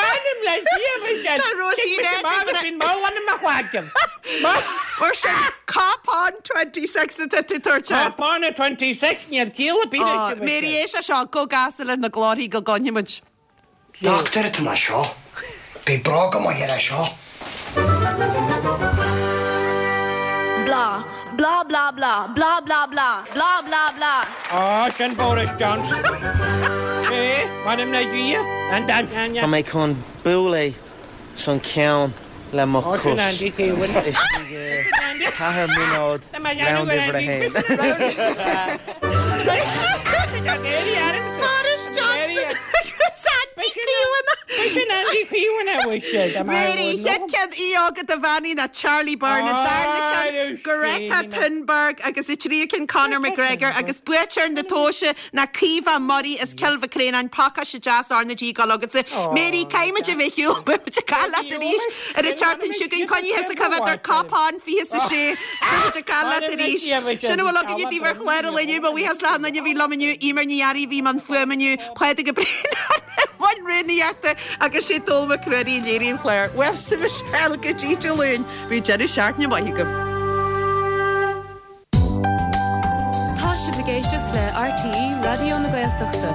M'anam le Dia, Michelle! Tá Rosie Tig mise Ned amach ag agus bíonn mall i mo chloigeann. Mar sin, cop on 26 atá tú tabhairt air. Cop on 26, níl ciall ar bith leis, a Mary, Michelle. éist leis seo, go gasta leis na glórthaí go gcluinfidh muid. Dochtúir atá ina seo. Beidh bróga maith air seo. Blah, blah blah blah, blah blah blah, blah blah blah. Á, sin Boris Johnson. É, m'anam le Dia, an dan. Tá mé chun bualadh san ceann le mo Ó, sin chos Andy Keown. istigh i ceathair mionóid Tá mé ag déanamh round go uimhir a Andy. haon. Boris Johnson agus Andy Keown. Sin Andy Keown a bhfuil sé. Mary, chéad ceann í agat a bheannaí ná Charlie Byrne, an darna ceann Greta Thunberg agus an tríú ceann Conor McGregor agus buaiteoir na tomhaise ná Caoimhe Murray as Cill Mhic Réanáin, pacáiste deas RnaG ag dul agatsa. Mary, caithfidh muid a bheith ar shiúl, beidh muid ag caint leat arís ar an tseachtain seo chugainn, coinnigh thusa coimhéad ar Cop On 26, is beidh muid ag caint leat arís. Sin a bhfuil againne daoibh ar chlár an lae inniu, mo bhuíochas le achan duine a bhí liom inniu, Eimear Ní Fhearraigh a bhí i mbun fuaime inniu, Pádraig Ó Braonáin i mbun rúnaíochta agus sé Dól Mac Ruairí a léirigh an clár. Uaimse Michelle go dtí Dé Luain, bíodh deireadh seachtaine maith agaibh. Tá sibh ag éisteacht le RTÉ Raidió na Gaeltachta.